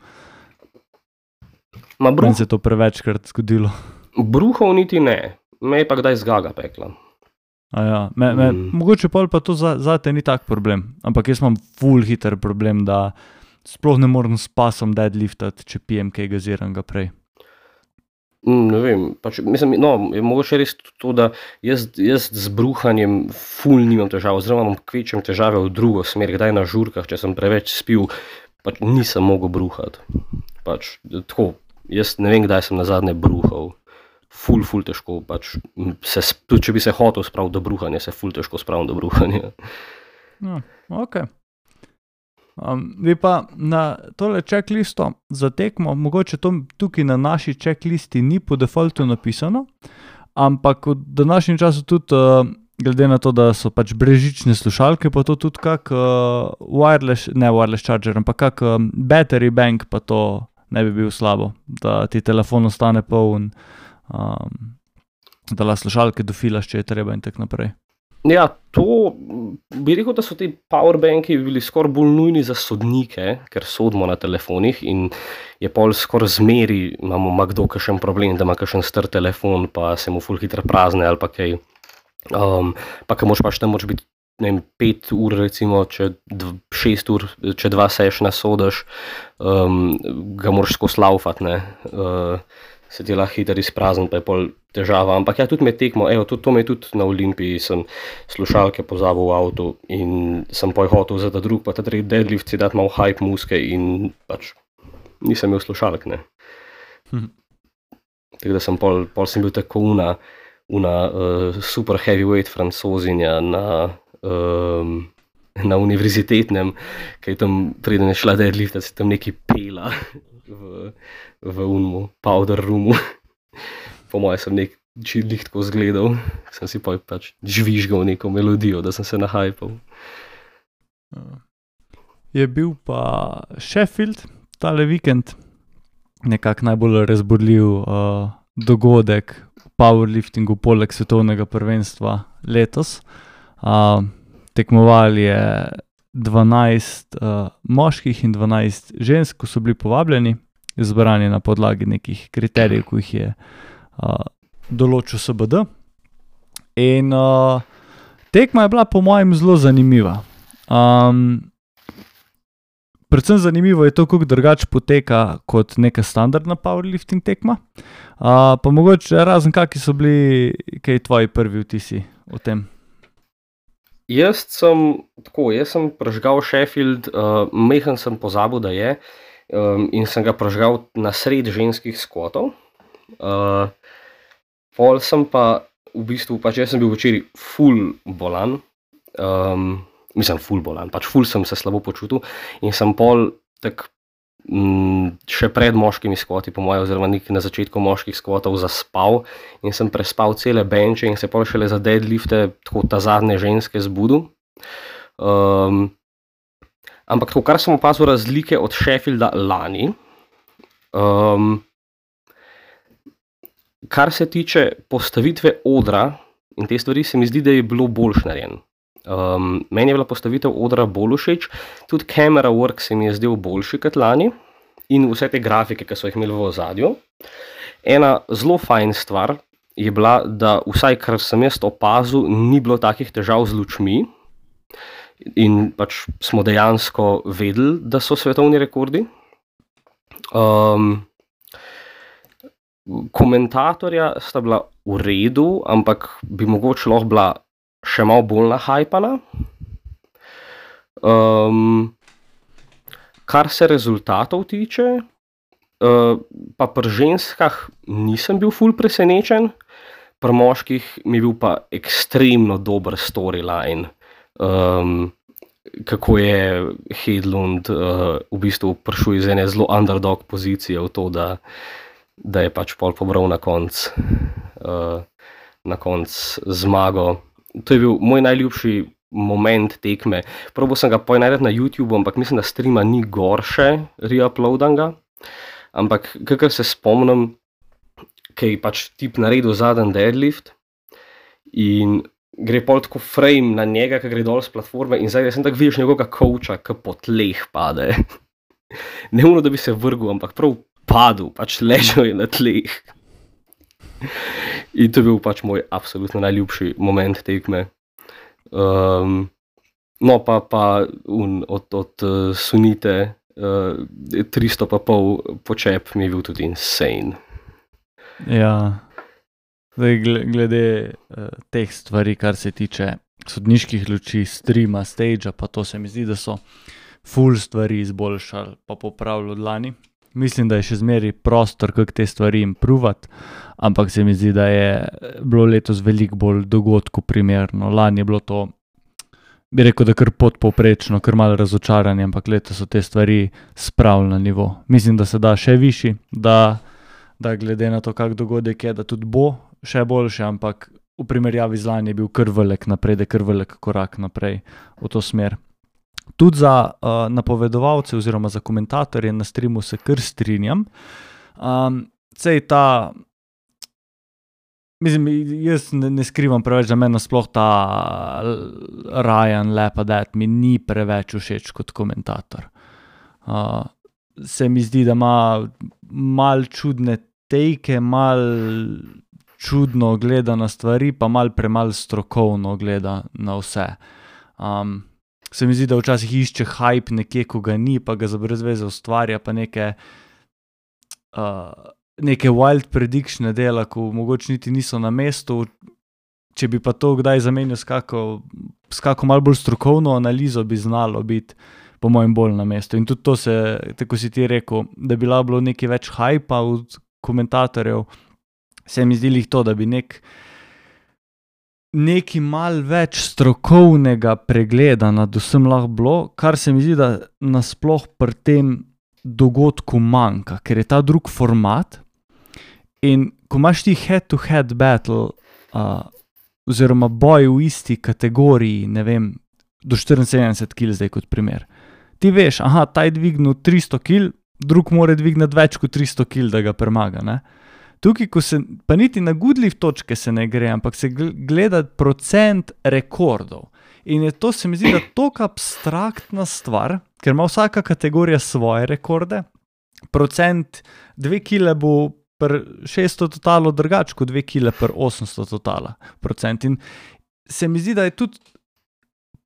Ma bruh... Meni se je to prevečkrat zgodilo. Bruhov niti ne, me je pa kdaj zgaga pekla. A ja, me, me, mm. mogoče pol pa to za, za te ni tak problem, ampak jaz imam ful hiter problem, da sploh ne morem s pasom deadliftat, če pijem kaj gaziranega prej. Mm, ne vem, pač, mislim, no, je mogoče res to, da jaz, jaz z bruhanjem ful nimam težav, oziroma imam kvečjem težave v drugo smer, kdaj na žurkah, če sem preveč spil, pač nisem mogel bruhati. Pač, tako, jaz ne vem, kdaj sem nazadnje bruhal. Ful, ful težko, pač, se, tudi če bi se hotel spraviti do bruhanja, se ful težko spravim do bruhanja. No, ok. Um, vi pa na tole checklisto za tekmo, mogoče to tukaj na naši checklisti ni po defaultu napisano, ampak v današnjem času tudi uh, glede na to, da so pač brezžične slušalke, pa to tudi kak uh, wireless, ne wireless charger, ampak kak um, battery bank, pa to ne bi bil slabo, da ti telefon ostane poln, um, da la slušalke dofilaš, če je treba in tako naprej. Ja, to bi rekel, da so ti powerbanki bili skoraj bolj nujni za sodnike, ker sodimo na telefonih in je pol skoraj zmeri, imamo ima kdo kakšen problem, da ima kakšen star telefon, pa se mu ful hitro prazne ali pa kaj. Um, pa ka moš pač tam moč biti, ne vem, pet ur recimo, če dv, šest ur, če dva sešna sodaš, um, ga moraš skozi laufat, ne. Uh, se ti lahko hitro izprazen, pa je pol težava. Ampak ja, tudi med tekmo, evo, tudi to me je tudi na Olimpiji, sem slušalke pozabil v avtu in sem poj hotel za ta drug, pa ta tretji deadlift si dati malo hype muske in pač nisem imel slušalk, ne. Hm. Tako da sem pol, pol sem bil tako una, una uh, super heavyweight francozinja na, um, na univerzitetnem, kaj tam preden je šla deadlifta, si tam neki pela v, v unmu, powder roomu. Po moje sem nek čidlih tako zgledal, sem si pa pač žvižgal neko melodijo, da sem se nahajpal. Je bil pa Sheffield tale vikend nekak najbolj razburljiv uh, dogodek v powerliftingu poleg svetovnega prvenstva letos. Uh, tekmovali je dvanajst uh, moških in dvanajst žensk, ko so bili povabljeni, izbrani na podlagi nekih kriterijev, ko jih je uh, določil S B D. In uh, tekma je bila po mojem zelo zanimiva. Um, predvsem zanimivo je to, kako drugače poteka kot neka standardna powerlifting tekma. Uh, pa mogoče razen kakšni so bili kaj tvoji prvi vtisi o tem? Jaz sem, tako, jaz sem prežgal Sheffield, uh, mehen sem pozabil, da je, um, in sem ga prežgal na sred ženskih skvotov. Uh, pol sem pa, v bistvu, pač jaz sem bil včeraj ful bolan, um, mislim ful bolan, pač ful sem se slabo počutil in sem pol tak m, še pred moškimi skvoti, po moje, oziroma nekaj na začetku moških skvotov zaspal in sem prespal cele benče in se pol šele za deadlifte tako ta zadnje ženske zbudil. Um, ampak tako, kar sem opazil razlike od Sheffielda lani, um, kar se tiče postavitve odra in te stvari, se mi zdi, da je bilo boljš narejen. Um, meni je bila postavitev odra bolj všeč, tudi camera work se mi je zdel boljši kot lani in vse te grafike, ki so jih imeli v ozadju. Ena zelo fajn stvar je bila, da vsaj kar sem jaz opazil, ni bilo takih težav z lučmi in pač smo dejansko vedeli, da so svetovni rekordi. Um, komentatorja sta bila v redu, ampak bi mogoče lahko bila še malo bolj nahajpana. Um, kar se rezultatov tiče, uh, pa pri ženskah nisem bil ful presenečen, pri moških mi je bil pa ekstremno dober storyline, um, kako je Hedlund uh, v bistvu prišel iz ene zelo underdog pozicije v to, da, da je pač pol pobral na konc, uh, na konc zmago. To je bil moj najljubši moment tekme. Probal sem ga poj najdeti na YouTube, ampak mislim, da streama ni gor še reuploadanga. Ampak kakor se spomnim, kaj je pač tip naredil zadnji deadlift in gre pol tako frame na njega, ki gre dol z platforme in zdaj sem tako vidiš njegovega coacha, ki po tleh pade. Ne ono, da bi se vrgel, ampak prav padel, pač ležal je na tleh. In to je bil pač moj absolutno najljubši moment tekme. Um, no pa, pa un, od, od uh, Sunite uh, tristo pa pol počep mi je bil tudi insane. Ja, zdaj glede uh, teh stvari, kar se tiče sodniških luči, streama, stagea, pa to se mi zdi, da so ful stvari izboljšali pa popravili od lani. Mislim, da je še zmeri prostor, kako te stvari improvati, ampak se mi zdi, da je bilo letos veliko bolj dogodku primerno. Lani je bilo to, bi rekel, da kar podpovprečno, kar malo razočaranje, ampak letos so te stvari spravili na nivo. Mislim, da se da še višji, da, da glede na to, kak dogodek je, da tudi bo še boljše, ampak v primerjavi z lani je bil kar velik napredek, kar velik korak naprej v to smer. Tudi za uh, napovedovalce oziroma za komentatorje na streamu se kar strinjam. Um, sej ta, mislim, jaz ne, ne skrivam preveč, da meni nasploh ta Ryan Lepadet mi ni preveč všeč kot komentator. Uh, se mi zdi, da ima mal čudne tejke, mal čudno gleda na stvari, pa mal premal strokovno gleda na vse. Um, se mi zdi, da včasih išče hype nekje, ko ga ni, pa ga za brez veze ustvarja, pa neke, uh, neke wild predictione dela, ko mogoče niti niso na mestu. Če bi pa to kdaj zamenil s kako, s kako malo bolj strokovno analizo, bi znalo biti po mojem bolj na mestu. In tudi to se, tako si ti rekel, da bi bilo nekaj več hypa od komentatorjev, se mi zdi lih to, da bi nek nekaj mal več strokovnega pregleda nad vsem lahko bilo, kar se mi zdi, da nasploh pri tem dogodku manjka, ker je ta drug format in ko imaš ti head-to-head battle uh, oziroma boj v isti kategoriji, ne vem, do štiriinsedemdeset kil zdaj kot primer. Ti veš, aha, ta je dvignil tristo kil, drug mora dvigniti več kot tristo kil, da ga premaga, ne? Tukaj, ko se, pa niti na goodlift točke se ne gre, ampak se gleda procent rekordov. In je to, se mi zdi, da toliko abstraktna stvar, ker ima vsaka kategorija svoje rekorde, procent dve kile bo per šeststo totalo drugač kot dve kile per osemsto totala procent. In se mi zdi, da je tudi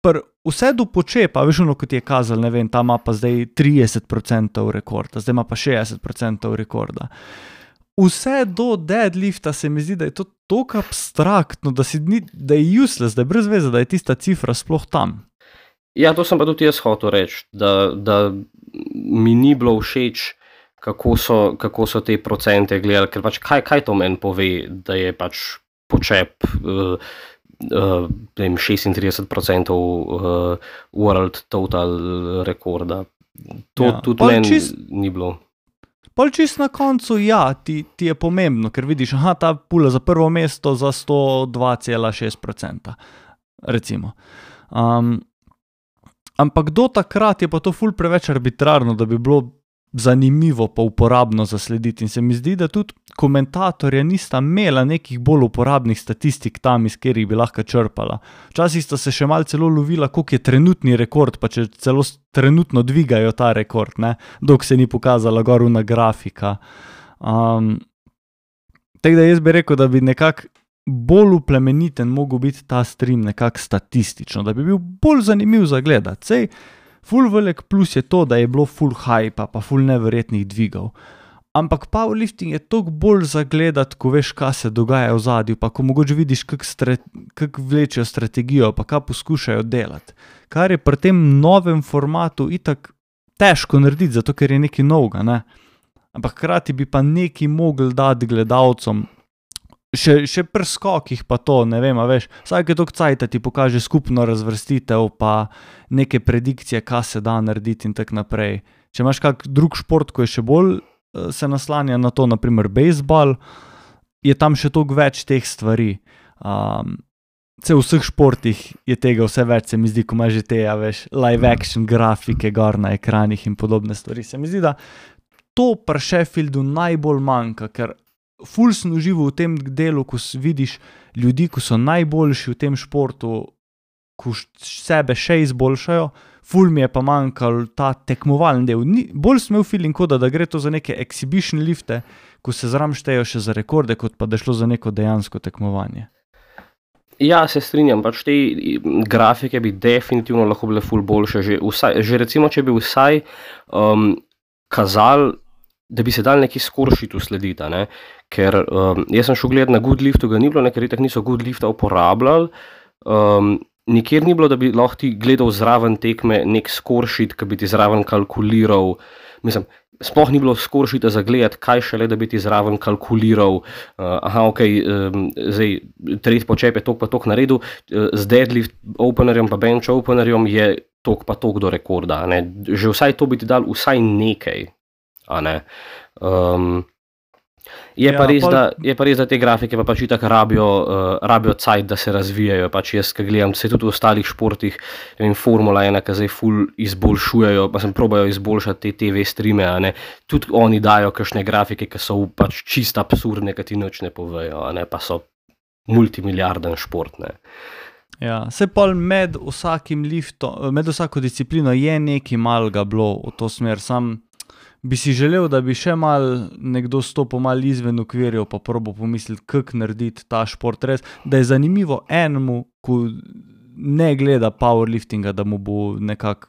per vse do počepa, veš ono, kot je kazal, ne vem, ta ima pa zdaj trideset procentov rekorda, zdaj ima pa šestdeset procentov rekorda. Vse do deadlifta se mi zdi, da je to toliko abstraktno, da, si ni, da je useless, da je brez veze, da je tista cifra sploh tam. Ja, to sem pa tudi jaz hotel reči, da, da mi ni bilo všeč, kako so, kako so te procente gledali, ker pač kaj, kaj to meni pove, da je pač počep uh, uh, vem, šestintrideset procentov uh, world total rekorda. To ja. Tudi meni čist... ni bilo. Pol čist na koncu, ja, ti, ti je pomembno, ker vidiš, aha, ta pula za prvo mesto za sto dva cela šest procenta, recimo. Um, ampak do takrat je pa to ful preveč arbitrarno, da bi bilo zanimivo pa uporabno zaslediti. In se mi zdi, da tudi komentatorja nista imela nekih bolj uporabnih statistik tam, iz katerih bi lahko črpala. Včasih sta se še malo celo lovila, koliko je trenutni rekord, pa če celo trenutno dvigajo ta rekord, ne, dok se ni pokazala gor una grafika. Um, tako da jaz bi rekel, da bi nekako bolj uplemeniten mogel biti ta stream nekako statistično, da bi bil bolj zanimiv za gledati. Sej, ful velik plus je to, da je bilo ful hypa, pa ful neverjetnih dvigov. Ampak powerlifting je toliko bolj za gledati, ko veš, kaj se dogaja v zadju, pa ko mogoče vidiš, kak, stre, kak vlečejo strategijo, pa kaj poskušajo delati. Kar je pri tem novem formatu itak težko narediti, zato ker je nekaj novega, ne? Ampak hkrati bi pa nekaj mogli dati gledalcom, še, še pri skokih pa to, ne vem, a veš, vsake toliko cajta ti pokaže skupno razvrstitev, pa neke predikcije, kaj se da narediti in tak naprej. Če imaš kak drug šport, ko je še bolj se naslanja na to, naprimer bejzbol, je tam še toliko več teh stvari. Um, v vseh športih je tega vse več, se mi zdi, ko imaš že te, ja, veš, live action grafike gor na ekranih in podobne stvari. Se mi zdi, da to pri Sheffieldu najbolj manjka, ker ful sem užival v tem delu, ko vidiš ljudi, ko so najboljši v tem športu, ko sebe še izboljšajo, ful mi je pa manjkal ta tekmovalni del. Ni, bolj sem imel feeling koda, da gre to za neke exhibition lifte, ko se zram štejo še za rekorde, kot pa da šlo za neko dejansko tekmovanje. Ja, se strinjam, pač te grafike bi definitivno lahko bile ful boljše. Že, vsaj, že recimo, če bi vsaj um, kazal, da bi se dal neki skoršitu slediti, ne? Ker um, jaz sem šel gledati na Goodliftu, ga ni bilo, ker itak niso Goodlifta uporabljali. Um, nikjer ni bilo, da bi lahko ti gledal zraven tekme nek skoršit, ki bi ti zraven kalkuliral. Mislim, sploh ni bilo skoršita za gledati, kaj šele, da bi ti zraven kalkuliral. Uh, aha, ok, um, zdaj tretji počep je tok pa tok naredil, uh, z deadlift openerjem pa bench openerjem je tok pa tok do rekorda. Ne? Že vsaj to bi ti dal vsaj nekaj. A ne. Um, Je, Ja, pa res, pol- da, je pa res, da te grafike pa pač itak rabijo, uh, rabijo cajt, da se razvijajo. Pač jaz, ki gledam, se tudi v ostalih športih, ne vem, Formula ena, ki zdaj ful izboljšujejo, pa sem probajo izboljšati te T V streame, a ne. Tudi oni dajo kakšne grafike, ki so pač čist absurdne, ki ti nič ne povejo, a ne, pa so multimiliarden šport, ne. Ja, se pol med vsakim liftom, med vsako disciplino je nekaj malega bilo v to smer, sam bi si želel, da bi še mal nekdo stopil mal izven okvirjev, pa probo pomisliti, kako narediti ta šport res, da je zanimivo enemu, ko ne gleda powerliftinga, da mu bo nekako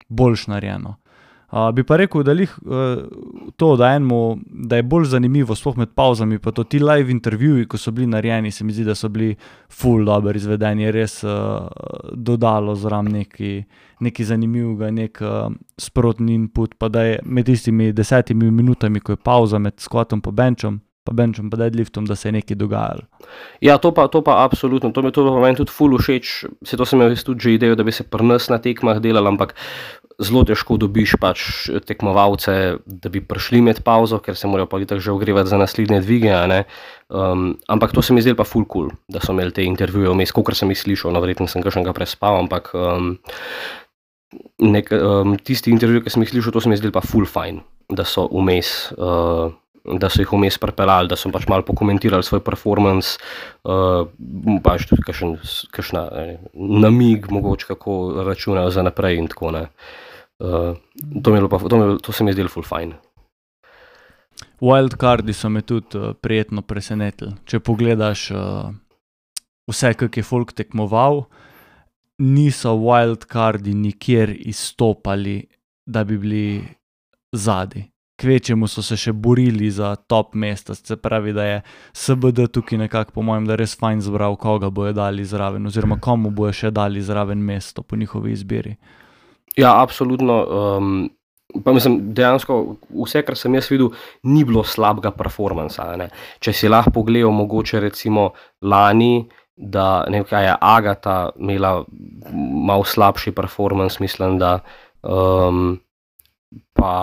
boljš narejeno. Uh, bi pa rekel, da lih uh, to, da enemu, da je bolj zanimivo, sploh med pauzami, pa to ti live intervjuji, ko so bili narejeni, se mi zdi, da so bili ful dobro izvedeni, je res uh, dodalo zram neki, neki zanimivega, nek uh, sprotni input, pa da je med tistimi desetimi minutami, ko je pauza med squatom pa benchom, pa benchom pa deadliftom, da se je nekaj dogajalo. Ja, to pa, to pa absolutno, to mi to pa meni tudi ful všeč, se to sem imel tudi že idejo, da bi se pri nas na tekmah delal, ampak zelo težko dobiš pač tekmovalce, da bi prišli med pauzo, ker se morajo pa itak že ogrevati za naslednje dvige, a ne. Um, ampak to se mi zdelo pa ful cool, da so imeli te intervjuje vmes, kolikor sem jih slišal, no verjetno sem kakšnega prespal, ampak um, nek, um, tisti intervju, ki sem jih slišal, to se mi zdelo pa ful fajn, da so vmes, uh, da so jih vmes pripeljali, da so pač malo pokomentirali svoj performance, uh, pač tudi kakšen, kakšna ne, namig mogoče, kako računajo za naprej in tako, ne. Uh, to, mi pa, to, mi, to se mi je zdelo ful fajn. Wildcardi so me tudi uh, prijetno presenetili. Če pogledaš uh, vse, kak je folk tekmoval, niso wildcardi nikjer izstopali, da bi bili zadaj. Kvečemu so se še borili za top mesta, se pravi, da je S B D tukaj nekako, po mojem, da res fajn zbral, koga bojo dali zraven, oziroma komu bojo še dali zraven mesto po njihovi izbiri. Ja, absolutno. Um, pa mislim, dejansko vse, kar sem jaz videl, ni bilo slabega performansa. Ne. Če si lahko pogledal mogoče recimo lani, da ne vem kaj je Agata imela malo slabši performance, mislim, da um, pa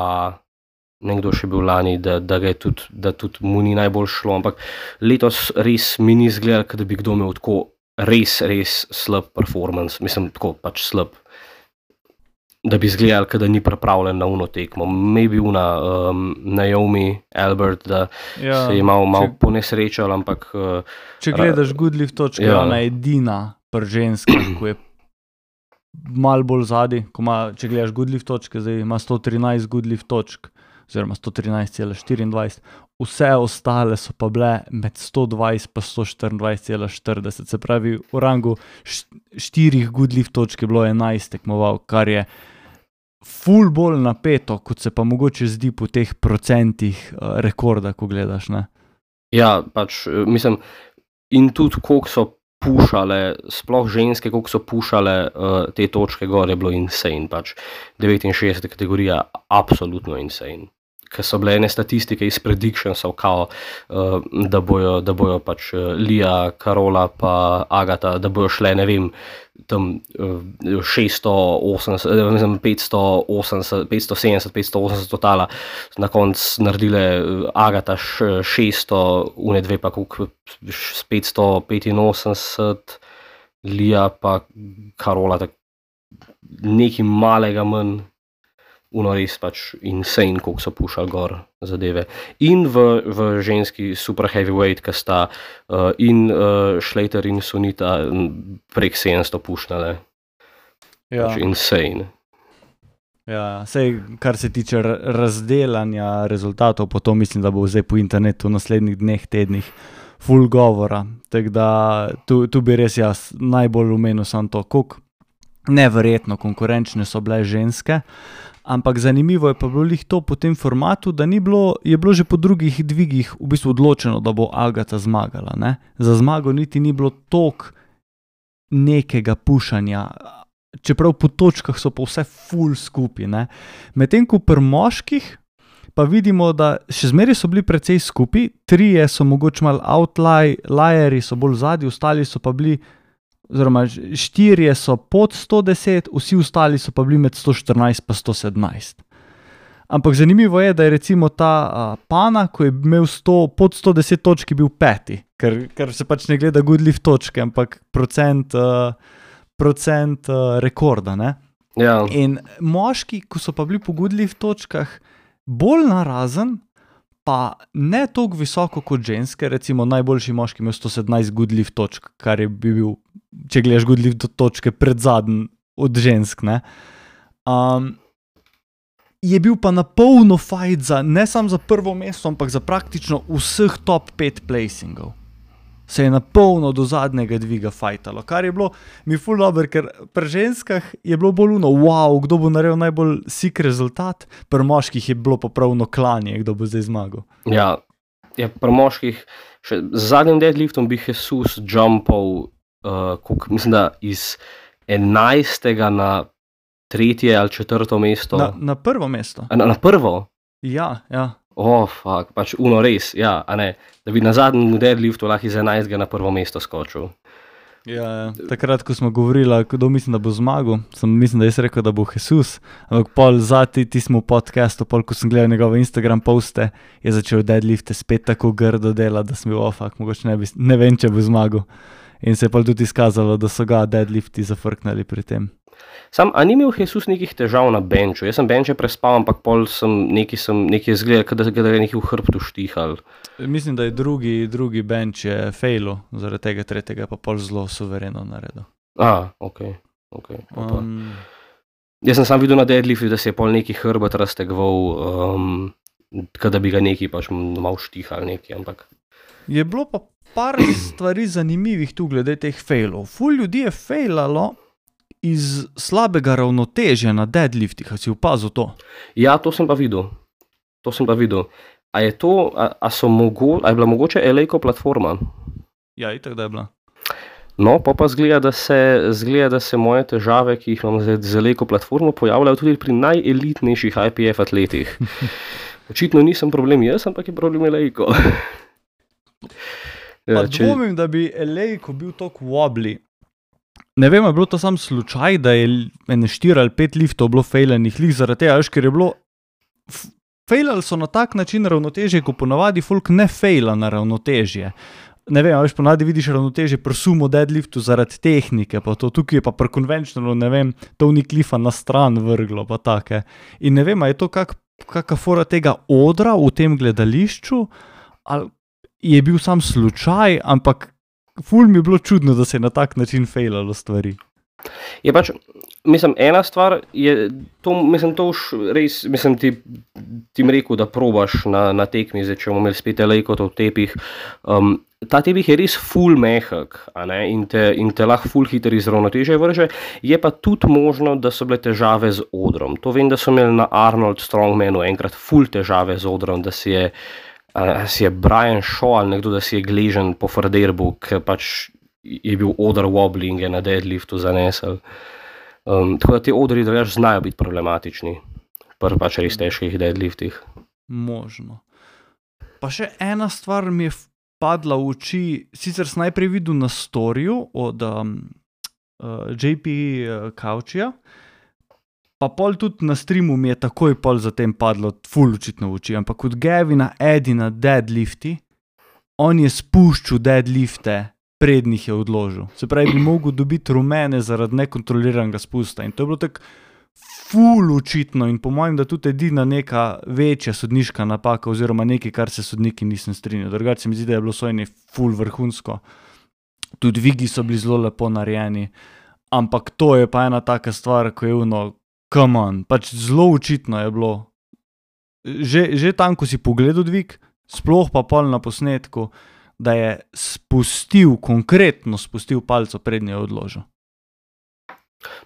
nekdo še bil lani, da, da, ga je tudi, da tudi mu ni najbolj šlo, ampak letos res mi ni izgledalo, da bi kdo imel tako res, res slab performance, mislim, tako pač slab, da bi izgledal, da ni pripravljen na uno tekmo. Maybe una um, Naomi Albert, da ja, se je malo mal ponesrečal, ampak... Uh, če gledaš Goodlift točke, ja. Ona je edina pri ženskah, ko je malo bolj zadaj, ko ima, če gledaš Goodlift točke, zdaj ima sto trinajst Goodlift točk, oziroma sto trinajst cela štiriindvajset, vse ostale so pa bile med sto dvajset pa sto štiriindvajset cela štirideset, se pravi, v rangu štirih Goodlift točk je bilo enajst tekmoval, kar je ful bolj napeto, kot se pa mogoče zdi po teh procentih uh, rekorda, ko gledaš, ne? Ja, pač, mislim, in tudi koliko so pušale, sploh ženske, koliko so pušale uh, te točke gor, je bilo insane, pač devetinšestdeseta kategorija, absolutno insane. Ker so bile ene statistike iz predictionsov, kao, uh, da bojo, da bojo pač uh, Lija, Karola pa Agata, da bojo šle, ne vem, tam uh, šeststo osemdeset, ne vem, petsto osemdeset, petsto sedemdeset, petsto osemdeset totala, na koncu naredile uh, Agata š, šeststo, une dve pa koliko, petsto petinosemdeset, Lija pa Karola, tak, nekaj malega manj. Uno res pač insane, koliko so pušali gor zadeve. In v, v ženski super heavyweight, ki sta uh, in uh, Slater in Sunita prek sedemsto pušnale. Ja. Pač insane. Ja, sej, kar se tiče razdelanja rezultatov, potom mislim, da bo zdaj po internetu v naslednjih dneh, tednih ful govora. Tako da tu, tu bi res jaz najbolj omenil samo to, koliko neverjetno konkurenčne so bile ženske. Ampak zanimivo je pa bilo lih to po tem formatu, da ni bilo, je bilo že po drugih dvigih v bistvu odločeno, da bo Agata zmagala, ne. Za zmago niti ni bilo toliko nekega pušanja, čeprav po točkah so pa vse ful skupaj, ne. Medtem ko pri moških pa vidimo, da še zmeraj so bili precej skupaj, trije so mogoče malo outlierji, so bolj zadnji, ostali so pa bili, oziroma štirje so pod sto deset, vsi ostali so pa bili med sto štirinajst pa sto sedemnajst. Ampak zanimivo je, da je recimo ta uh, Pana, ko je imel sto, pod sto deset točk, bil peti, ker, ker se pač ne gleda Goodleaf točke, ampak procent, uh, procent uh, rekorda. Ne? Ja. In moški, ko so pa bili po Goodleaf točkah, bolj narazen, pa ne toliko visoko kot ženske, recimo najboljši moški imel sto sedemnajst Goodleaf točk, kar je bil, če gledaš Goodleaf točke, pred zadnji od žensk, ne. Um, je bil pa na polno fight za, ne samo za prvo mesto, ampak za praktično vseh top pet placingov. Se je na polno do zadnjega dviga fightalo, kar je bilo mi ful dobro, ker pri ženskah je bilo bolj uno, wow, kdo bo naredil najbolj sik rezultat, pri moških je bilo pa pravno klanje, kdo bo zdaj zmagal. Ja, ja pri moških, še z zadnjim deadliftom bi Jesus jumpal, uh, kuk, mislim, da iz enajstega na tretje ali četrto mesto. Na, na prvo mesto. Na, na prvo? Ja, ja. Oh, fuck, pač uno res, ja, a ne, da bi na zadnjem deadliftu lahko iz enajstega na prvo mesto skočil. Ja, ja. Takrat, ko smo govorili, kdo mislim, da bo zmagal, sem mislim, da jaz rekel, da bo Jesus, ampak pol zati, ti smo v podcastu, pol, ko sem gledal njegove Instagram poste, je začel deadlifte spet tako grdo delati, da sem bil, oh, fuck, mogoče ne, bi, ne vem, če bo zmagal. In se je pa tudi izkazalo, da so ga deadlifti zafrknali pri tem. Sam, a ni imel Jesus nekih težav na benču? Jaz sem benče prespal, ampak pol sem neki, sem neki izgledal, da, da je neki v hrbtu štihal. Mislim, da je drugi, drugi benč je failo, zaradi tega tretjega pa pol zelo suvereno naredil. A, ok, ok. Um, Jaz sem sam videl na deadliftu, da se je pol neki hrbet raztegval, um, kada bi ga neki pač malo štihal neki, ampak... Je bilo pa par stvari zanimivih tu glede teh failov. Ful ljudi je failalo iz slabega ravnotežja na deadliftih, a si opazil to? Ja, to sem pa videl. To sem pa videl. A je to, a, a so mogo, a je bila mogoče Elejko platforma? Ja, itak da je bila. No, pa pa zgleda, da se, zgleda, da se moje težave, ki jih imam zdaj z Elejko platformo, pojavljajo tudi pri najelitnejših I P F atletih. Očitno nisem problem jaz, ampak je problem Elejko. Pa ja, če... dvomim, da bi Elejko bil toliko wobbly. Ne vem, je bilo to sam slučaj, da je ene štiri ali pet liftov bilo fejlanih lih zaradi tega, ker je bilo... Fejlali so na tak način ravnotežje, ko ponavadi folk ne fejla na ravnotežje. Ne vem, veš, ponavadi vidiš ravnotežje pri sumo deadliftu zaradi tehnike, pa to tukaj je pa pri konvenčnalu, ne vem, Tony Cliffa na stran vrglo, pa take. In ne vem, a je to kak, kaka fora tega odra v tem gledališču, ali je bil sam slučaj, ampak ful mi je bilo čudno, da se je na tak način fejlalo stvari. Je pač, mislim, ena stvar je, to, mislim, to už res, mislim, ti, ti mi rekel, da probaš na, na tekmi, zdaj, če bomo imeli spet Elejko to v tepih. Um, ta tepih je res ful mehak, a ne, in te, in te lahko ful hiter iz ravnotežja vrže, je pa tudi možno, da so bile težave z odrom. To vem, da so imeli na Arnold Strongmanu enkrat ful težave z odrom, da si je Uh, si je Brian Shaw ali nekdo, da si je gležen po Farderbu, ker pač je bil odr wobbling je na deadliftu zanesel. Um, tako da ti odri drugač znajo biti problematični pri pač res težkih deadliftih. Možno. Pa še ena stvar mi je padla v oči, sicer sem najprej videl na storiju od um, uh, J P Couchija, pa pol tudi na streamu mi je takoj pol zatem padlo ful očitno v oči, ampak od Gavina Edina deadlifti, on je spuščal deadlifte, prednjih je odložil. Se pravi, bi mogel dobiti rumene zaradi nekontroliranega spusta in to je bilo tako ful očitno in po mojem, da tudi edina neka večja sodniška napaka oziroma nekaj, kar se sodniki nisem strinjal. Drugače se mi zdi, da je bilo sojenje ful vrhunsko. Tudi vigi so bili zelo lepo narejeni, ampak to je pa ena taka stvar, ko je ono, come on, pač zelo očitno je bilo. Že, že tam, ko si pogledal dvig, sploh pa pol na posnetku, da je spustil, konkretno spustil palco prednje odložil.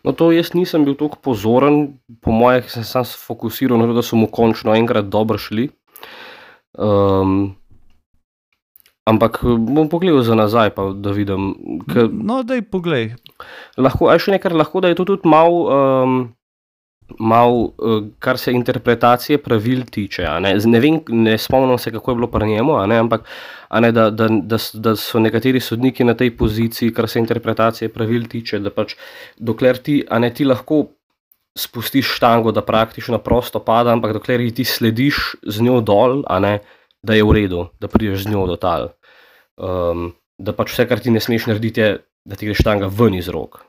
No to jaz nisem bil toliko pozoren, po mojih sem sam fokusiral na to, da so mu končno enkrat dobro šli. Um, ampak bom pogledal za nazaj, pa da vidim. K... No, daj poglej. Lahko, a še nekaj, lahko da je to tudi malo... Um, mal, kar se interpretacije pravil tiče, a ne, ne vem, ne spomnim se, kako je bilo pri njemu, a ne, ampak a ne, da, da, da, da so nekateri sodniki na tej poziciji, kar se interpretacije pravil tiče, da pač dokler ti, a ne, ti lahko spustiš štango, da praktično prosto pada, ampak dokler ti slediš z njo dol, a ne, da je v redu, da prideš z njo do tal. Um, da pač vse, kar ti ne smeš narediti, je, da ti gre štanga ven iz rok.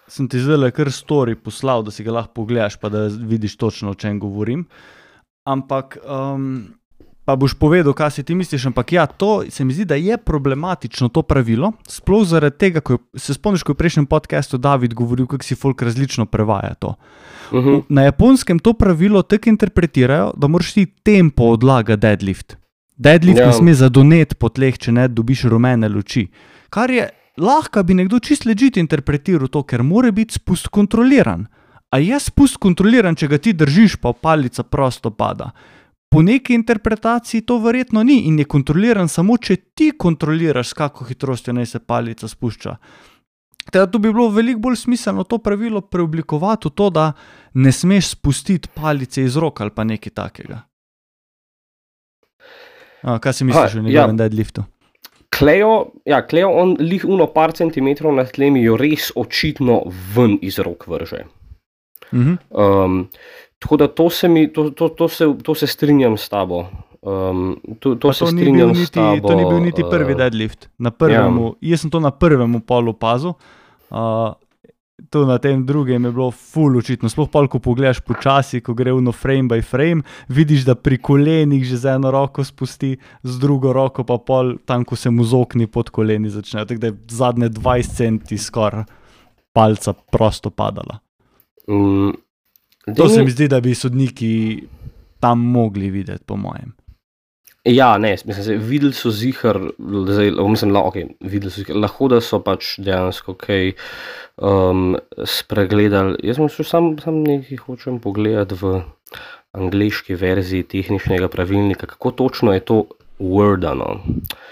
Sem ti zdaj kar story poslal, da si ga lahko pogledaš, pa da vidiš točno, o čem govorim. Ampak, um, pa boš povedal, kaj si ti misliš, ampak ja, to se mi zdi, da je problematično to pravilo, sploh zaradi tega, ko se spomniš, ko je v prejšnjem podcastu David govoril, kako si folk različno prevaja to. Uh-huh. Na Japonskem to pravilo tako interpretirajo, da moraš ti tempo odlaga deadlift. Deadlift yeah. ne sme zadonet po tleh, če ne dobiš rumene luči. Kar je, lahko bi nekdo čist legit interpretiral to, ker mora biti spust kontroliran. A je spust kontroliran, če ga ti držiš, pa palica prosto pada. Po neki interpretaciji to verjetno ni in je kontroliran samo, če ti kontroliraš, s kako hitrostjo naj se palica spušča. Teda tu bi bilo veliko bolj smiselno to pravilo preoblikovati v to, da ne smeš spustiti palice iz rok ali pa nekaj takega. A, kaj si misliš o njegovem ja. deadliftu? Kleo, ja, Kleo, on lih uno par centimetrov nad tlemi jo res očitno ven iz rok vrže. Uh-huh. Um, tako da to se, mi, to, to, to, se, to se strinjam s tabo. Um, to, to, se to, ni strinjam niti, s tabo. To ni bil niti prvi deadlift. Na prvemu, ja. Jaz sem to na prvemu polu opazil. Uh, to na tem drugem je bilo ful očitno. Sploh pol, ko pogledaš počasi, ko gre uno frame by frame, vidiš, da pri kolenih že z eno roko spusti, z drugo roko pa pol tam, ko se mu zokni pod koleni začne. Tako da je zadnje dvajset centi skoraj palca prosto padala. Mm, to se mi zdi, da bi sodniki tam mogli videti, po mojem. Ja, ne, mislim se, videli so zihar, zdaj, mislim, la, okay, videli so zihar, lahko da so pač dejansko kaj um, spregledali. Jaz sem sam, sam nekaj hočem pogledati v angleški verziji tehničnega pravilnika, kako točno je to wordano.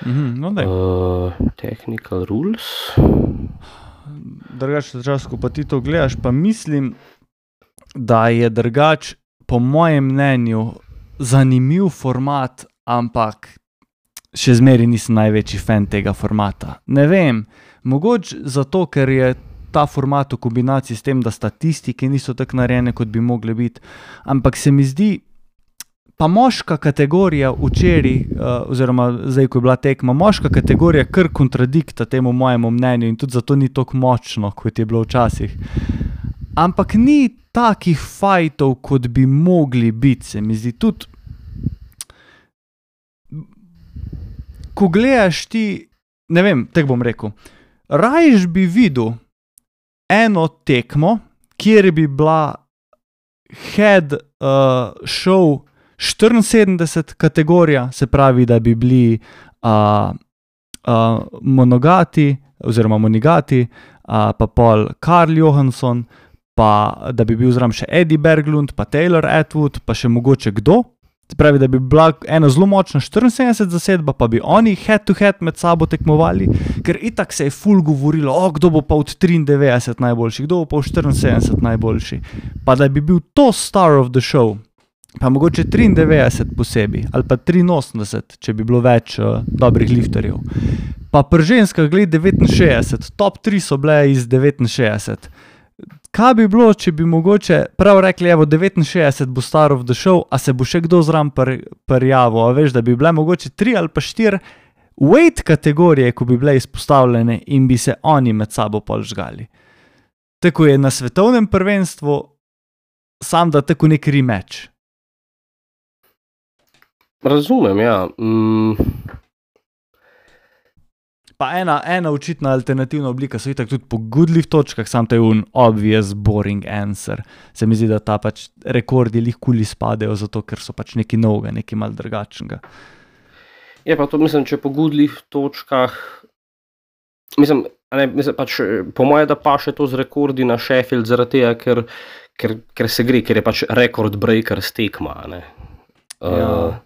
Mm-hmm, no, uh, technical rules. Drugač, ko pa ti to gledaš, pa mislim, da je drugač, po mojem mnenju, zanimiv format, ampak še zmeri nisem največji fan tega formata. Ne vem, mogoče zato, ker je ta format v kombinaciji s tem, da statistike niso tako narejene, kot bi mogle biti, ampak se mi zdi, pa moška kategorija včeraj, uh, oziroma zdaj, ko je bila tekma, moška kategorija kar kontradikta temu mojemu mnenju in tudi zato ni tako močno, kot je bilo včasih. Ampak ni takih fajtov, kot bi mogli biti, se mi zdi tudi. Ko gledaš ti, ne vem, tako bom rekel, rajš bi videl eno tekmo, kjer bi bila head uh, show štiriinsedemdeset kategorija, se pravi, da bi bili uh, uh, monogati, oziroma monigati, uh, pa pol Karl Johansson, pa da bi bil zraven še Eddie Berglund, pa Taylor Atwood, pa še mogoče kdo. Se pravi, da bi bila ena zelo močna štiriinsedemdeset zasedba, pa bi oni head to head med sabo tekmovali, ker itak se je ful govorilo, o, kdo bo pa od triindevetdeset najboljši, kdo bo pa od štiriinsedemdeset najboljši. Pa da bi bil to star of the show, pa mogoče triindevetdeset posebej, ali pa triinosemdeset, če bi bilo več uh, dobrih lifterjev. Pa pri ženskah gled devetinšestdeset, top tri so bile iz devetinšestdeset. Kaj bi bilo, če bi mogoče prav rekli, evo, devetinšestdeset bo star of the show, a se bo še kdo zraven prijavil, a veš, da bi bile mogoče tri ali pa štiri weight kategorije, ko bi bile izpostavljene in bi se oni med sabo pol žgali. Tako je na svetovnem prvenstvu, sam da tako nek rematch. Razumem, ja. Mm. Pa ena, ena očitna alternativna oblika so itak tudi po goodlift točkah, sam to je un obvious boring answer. Se mi zdi, da ta pač rekordi lih kuli spadejo, zato ker so pač neki novega, neki malo drugačnega. Je pa to, mislim, če po goodlift točkah, mislim, ne, mislim pač, po moje, da pa še to z rekordi na Sheffield, zaradi tega, ker, ker, ker se gre, ker je pač record breaker stekma, ne. Ja. Uh,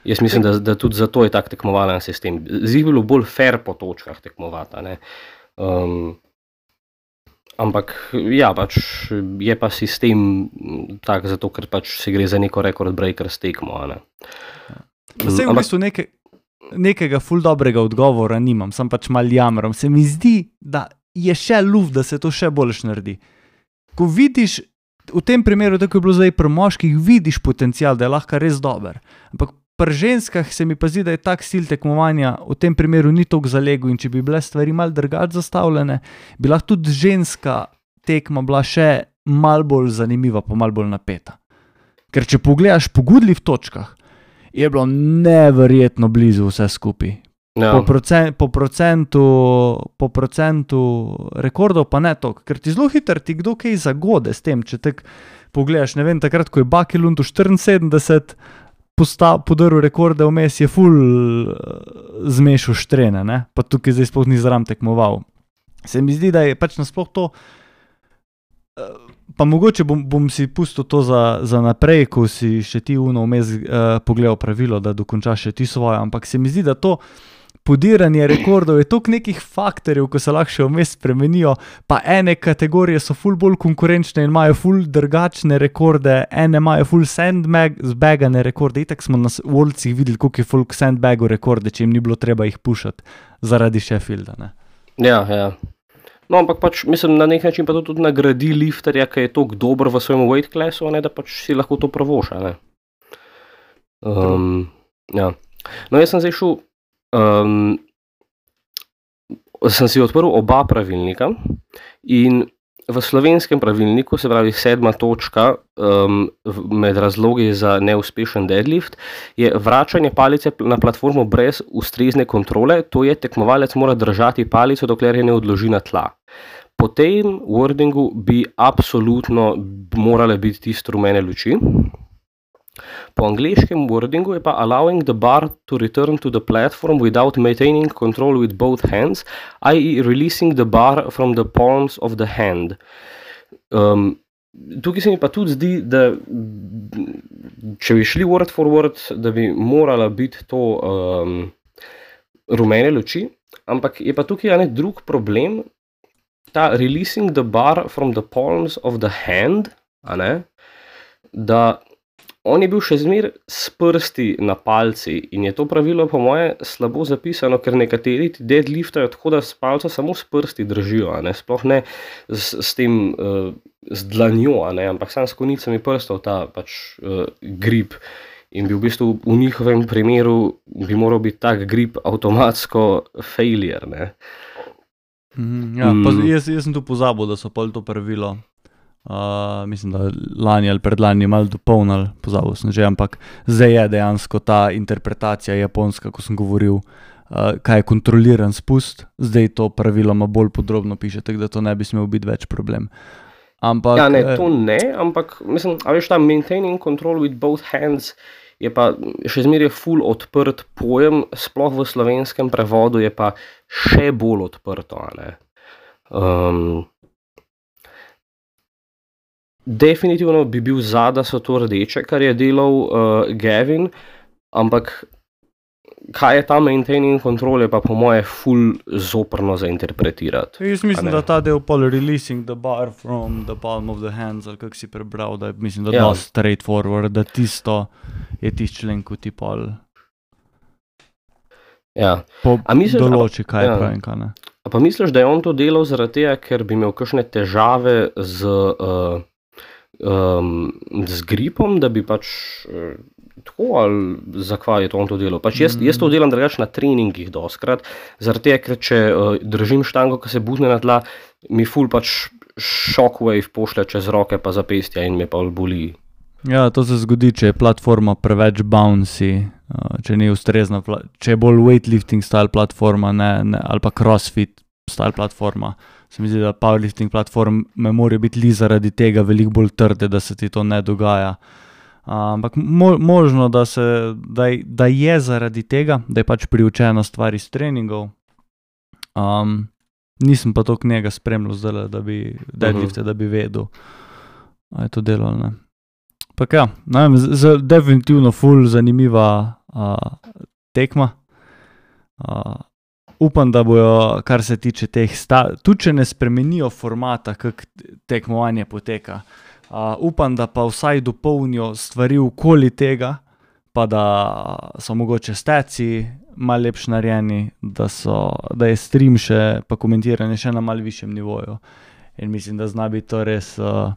Jaz mislim, da, da tudi zato je tak tekmovalen sistem. Zdaj bilo bolj fair po točkah tekmovati, ne. Um, ampak, ja, pač je pa sistem tak zato, ker pač se gre za neko record breaker s tekmo, ne. Vse v bistvu neke, nekega ful dobrega odgovora nimam, sem pač mal jamrom. Se mi zdi, da je še luft, da se to še boljš naredi. Ko vidiš v tem primeru, tako je bilo zdaj pri moških, vidiš potencial, da je lahko res dober. Ampak pri ženskah se mi pa zdi, da je tak stil tekmovanja v tem primeru ni toliko zalegel in če bi bile stvari malo drugače zastavljene, bi lahko tudi ženska tekma bila še malo bolj zanimiva, pa malo bolj napeta. Ker če pogledaš po Goodleaf točkah, je bilo neverjetno blizu vse skupaj. Ja. Po, procent, po, procentu, po procentu rekordov pa ne toliko, ker ti zelo hitro ti kdo kaj zagode s tem, če tak pogledaš, ne vem, takrat, ko je Bucky Lund v štiriinsedemdeset podaril rekorde vmes, je ful zmešal štrene, ne? Pa tukaj zdaj sploh ni zram tekmoval. Se mi zdi, da je pač nasploh to, pa mogoče bom, bom si pustil to za, za naprej, ko si še ti uno vmes uh, pogledal pravilo, da dokončaš še ti svojo, ampak se mi zdi, da to podiranje rekordov je toliko nekih faktorjev, ko se lahko še vmes spremenijo, pa ene kategorije so ful bolj konkurenčne in imajo ful drugačne rekorde, ene imajo ful sandbagane rekorde, itak smo na Worldsih videli, koliko je folk sandbago rekorde, če jim ni bilo treba jih pušati zaradi Sheffielda, ne. Ja, ja. No, ampak pač, mislim, na nek način pa to tudi nagradi lifterja, ki je toliko dober v svojem weight classu, ne, da pač si lahko to pravoša, ne. Um, ja. No, jaz sem zdaj šel, um, sem si odprl oba pravilnika in v slovenskem pravilniku, se pravi sedma točka um, med razlogi za neuspešen deadlift, je vračanje palice na platformo brez ustrezne kontrole, to je tekmovalec mora držati palico, dokler je ne odloži na tla. Po tem wordingu bi absolutno morale biti tiste rumene luči. Po angleškem wordingu je pa allowing the bar to return to the platform without maintaining control with both hands, that is releasing the bar from the palms of the hand. Um, tukaj se mi pa tudi zdi, da če bi šli word for word, da bi morala biti to um, rumene luči, ampak je pa tukaj ene drug problem, ta releasing the bar from the palms of the hand, a ne, da on je bil še zmer s prsti na palci in je to pravilo po moje slabo zapisano, ker nekateri ti deadliftajo tako, da s palco samo s prsti držijo, a ne, sploh ne s, s tem, uh, z dlanjo, a ne, ampak sam s konicami prstov ta pač uh, grip in bi v bistvu v njihovem primeru bi moral biti tak grip avtomatsko failure, ne. Mm, ja, pa jaz, jaz sem tu pozabil, da so pol to pravilo. Uh, mislim, da lani ali predlani malo dopolnili, pozabil sem že, ampak zdaj je dejansko ta interpretacija japonska, ko sem govoril, uh, kaj je kontroliran spust, zdaj to praviloma bolj podrobno piše, tako da to ne bi smel biti več problem. Ampak, ja, ne, to ne, ampak mislim, a veš, ta maintaining control with both hands je pa še zmeraj ful odprt pojem, sploh v slovenskem prevodu je pa še bolj odprto, a ne. Um, Definitivno bi bil za, da so to rdeče, kar je delal uh, Gavin, ampak kaj je ta maintaining control, je pa po moje ful zoprno zainterpretirati. Jaz mislim, da ta del pol releasing the bar from the palm of the hands, ali kak si prebral, da je mislim, da ja. dost straightforward, da tisto je tisti člen, ko ti pol ja. po, misliš, določi, kaj ja. je prav in kaj ne. A pa misliš, da je on to delal zaradi tega, ker bi imel kakšne težave z, uh, um, z gripom, da bi pač uh, tako, ali zakaj je to on to delal? Pač jaz, jaz to delam drugače na treningih doskrat, zaradi tega, ker če uh, držim štango, ki se buzne na tla, mi ful pač shockwave pošlje čez roke pa zapestja in me pa boli. Ja, to se zgodi, če je platforma preveč bouncy, če ni ustrezna, če je bolj weightlifting style platforma, ne, ne, ali pa crossfit style platforma. Se mi zdi, da powerlifting platforme morajo biti li zaradi tega veliko bolj trde, da se ti to ne dogaja. Ampak mo, možno, da, se, da, da je zaradi tega, da je pač priučena stvar iz treningov. Um, nisem pa toliko njega spremljal zdaj, da bi deadlifte, da bi vedel, a je to delo ali ne. Pa ja, ne vem, z, z, definitivno ful zanimiva uh, tekma. Uh, upam, da bojo, kar se tiče teh sta, tudi če ne spremenijo formata, kak tekmovanje poteka. Uh, upam, da pa vsaj dopolnijo stvari okoli tega, pa da so mogoče steci malo lepš narejeni, da, so, da je stream še, pa komentiranje še na malo višjem nivoju. In mislim, da zna biti to res... Uh,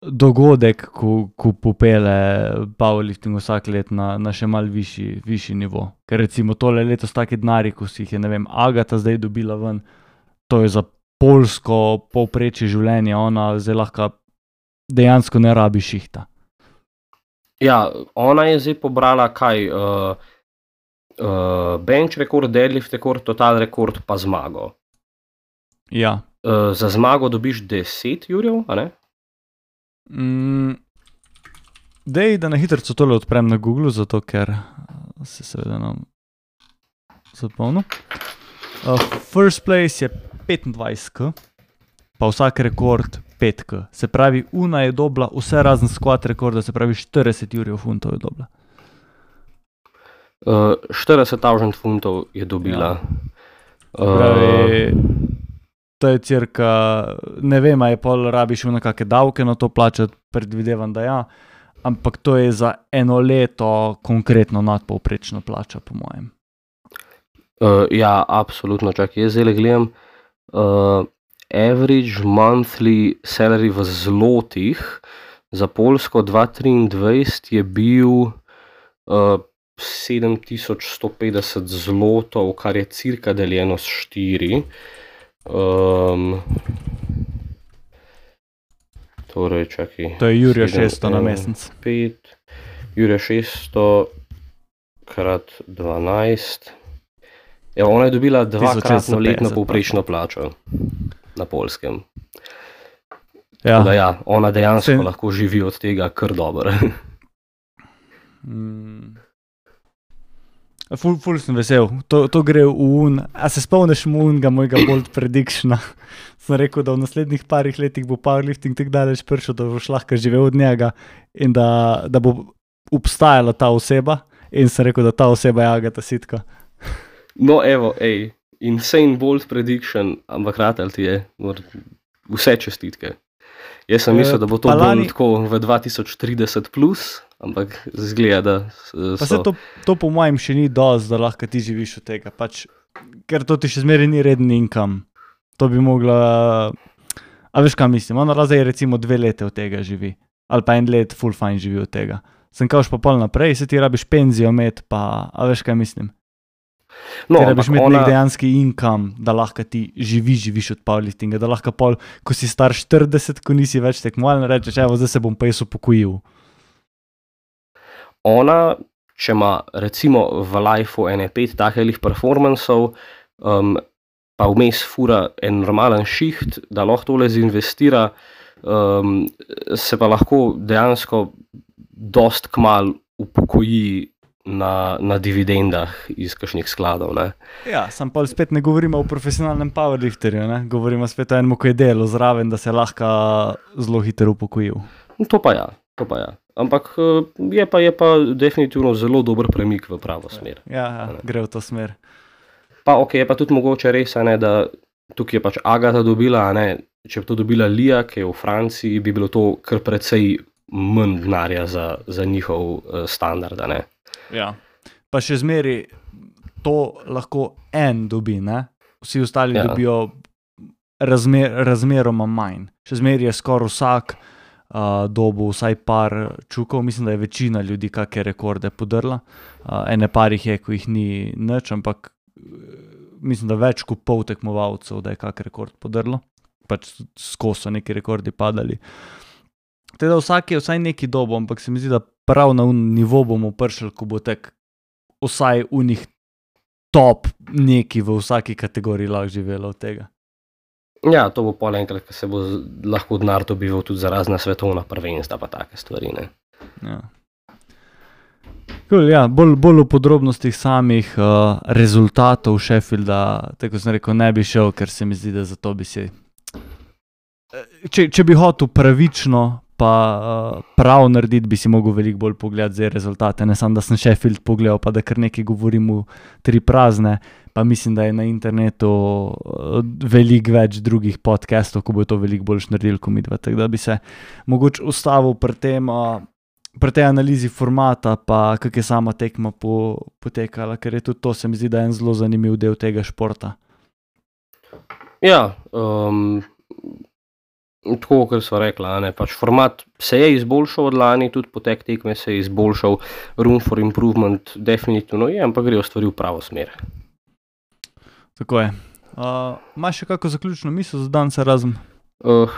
dogodek, ko, ko popele powerlifting vsak let na, na še mal višji, višji nivo. Ker recimo tole letos taki denari, ko si jih je, ne vem, Agata zdaj dobila ven, to je za Poljsko povprečje življenja, ona zdaj lahko dejansko ne rabi šihta. Ja, ona je zdaj pobrala kaj, uh, uh, bench rekord, deadlift rekord, total rekord pa zmago. Ja. Uh, za zmago dobiš deset jurjev, a ne? Mm, dej, da na hitrico tole odprem na Google, zato ker se seveda nam zapolnil. Uh, first place je petindvajset k, pa vsak rekord pet k. Se pravi, Una je dobila vse razen squat rekorda, se pravi štirideset jurjev funtov je dobila. Uh, štirideset tisoč funtov je dobila. Ja. Se pravi, to je cirka, ne vem, a je pol rabiš v nekakve davke na to plačati, predvidevam, da ja, ampak to je za eno leto konkretno nadpovprečna plača, po mojem. Uh, ja, absolutno, čakaj, jaz zdaj gledam, uh, average monthly salary v zlotih za Poljsko dva tisoč triindvajset je bil uh, sedem tisoč sto petdeset zlotov, kar je cirka deljeno s štiri. Um, torej, čakaj. To je Jurja šeststo na mesec. pet, Jurja šeststo krat dvanajst. Ja, ona je dobila dvakratno letno povprečno plačo na Poljskem. Ja. Da ja, ona dejansko Se... lahko živi od tega kar dobro. mm. Ful, ful sem vesel, to, to gre v un, a se spomniš mu unga mojega bold predictiona? Sem rekel, da v naslednjih parih letih bo powerlifting tako daleč prišel, da boš lahko živel od njega in da, da bo obstajala ta oseba in sem rekel, da ta oseba je Agata Sitka. No evo, ej, insane bold prediction, ampak ratel ti je, vse čestitke. Jaz sem mislil, da bo to bolj tako v dva tisoč trideset plus, ampak zgleda, da so... Pa se to, to po mojem še ni dosti, da lahko ti živiš od tega, pač, ker to ti še zmeraj ni redni income. To bi mogla... A veš, kaj mislim? Ona zdaj recimo dve lete od tega živi, ali pa en let full fine živi od tega. Sem kauš pa pol naprej, se ti rabiš penzijo imeti, pa... A veš, kaj mislim? No, ti rabiš imeti ona... nek dejanski income, da lahko ti živiš, živiš od powerliftinga, da lahko pol, ko si star štirideset, ko nisi več tekmovalno, rečeš, evo, zdaj se bom pa jaz upokojil. Ona, če ima recimo v lifeu ene pet takih performansov, um, pa vmes fura en normalen šiht, da lahko tole zinvestira, um, se pa lahko dejansko dost kmal upokoji na, na dividendah iz kakšnih skladov. Ne? Ja, sam pa spet ne govorimo o profesionalnem powerlifterju, ne? Govorimo spet o enem, ko je delo zraven, da se lahko zelo hitro upokojil. To pa ja, to pa ja. Ampak je pa, je pa definitivno zelo dober premik v pravo smer. Ja, ja gre v to smer. Pa ok, je pa tudi mogoče res, ne, da tukaj je pač Agata dobila, ne, če bi to dobila Lija, ki je v Franciji, bi bilo to kar precej manj denarja za, za njihov uh, standard, ne. Ja, pa še zmeri to lahko en dobi, ne? Vsi ostali ja. dobijo razmer, razmeroma manj. Še zmeri je skoraj vsak uh, dobu vsaj par čukov, mislim, da je večina ljudi kakšne rekorde podrla. Uh, ene par jih je, ko jih ni nič, ampak mislim, da več kot pol tekmovalcev, da je kak rekord podrlo. Pač skozi so neki rekordi padali. Teda vsak je vsaj neki dobo, ampak se mi zdi, da prav na nivo bomo prišli, ko bo tek vsaj unih top neki v vsaki kategoriji lahko živelo od tega. Ja, to bo pol enkrat, ko se bo lahko denar dobival tudi za razna svetovna prvenstva pa take stvari, ne. Ja. Cool, ja, bolj, bolj v podrobnostih samih uh, rezultatov Sheffielda, tako sem rekel, ne bi šel, ker se mi zdi, da zato bi se... Če, če bi hotel pravično pa uh, prav narediti, bi si mogel veliko bolj pogledati zdaj rezultate. Ne samo, da sem Sheffield pogledal, pa da kar nekaj govorim v tri prazne, pa mislim, da je na internetu uh, veliko več drugih podcastov, ko bo to veliko boljš naredil, ko mi dva. Tako da bi se mogoče ustavil pri tem... Uh, pri tej analizi formata, pa kak je sama tekma po, potekala, ker je tudi to, se mi zdi, da je en zelo zanimiv del tega športa. Ja, um, tako, kot sva rekla, ne, pač format se je izboljšal od lani, tudi potek tekme se je izboljšal, room for improvement definitivno je, ampak grejo stvari v pravo smer. Tako je. Uh, imaš še kako zaključno misel za dan se razen? Uh,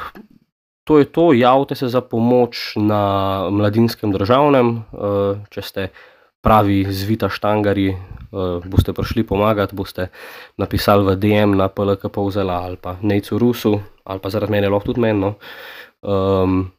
to je to, javite se za pomoč na Mladinskem državnem, uh, če ste pravi zvita štangari, uh, boste prišli pomagati, boste napisali v D M na P L K Polzela ali pa Nejcu Rusu, ali pa zaradi mene lahko tudi meni. No. Um,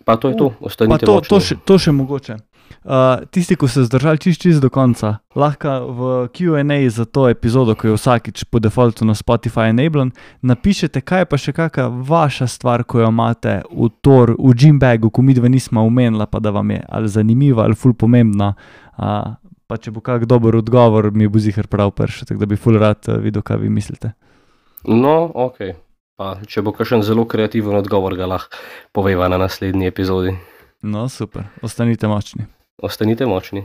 pa to je to, ostanite to, močni. To še, to še mogoče. Uh, tisti, ko se zdržali čist, čist do konca, lahko v Q and A za to epizodo, ko je vsakič po defaultu na Spotify enablen, napišete, kaj je pa še kakšna vaša stvar, ko jo imate v tor, v gymbagu, ko midva nismo omenila, pa da vam je ali zanimiva ali ful pomembna, uh, pa če bo kak dober odgovor, mi bo ziher prav prši, tako da bi ful rad videl, kaj vi mislite. No, ok. Pa če bo kakšen zelo kreativen odgovor, ga lahko poveva na naslednji epizodi. No, super. Ostanite močni. Ostanite močni.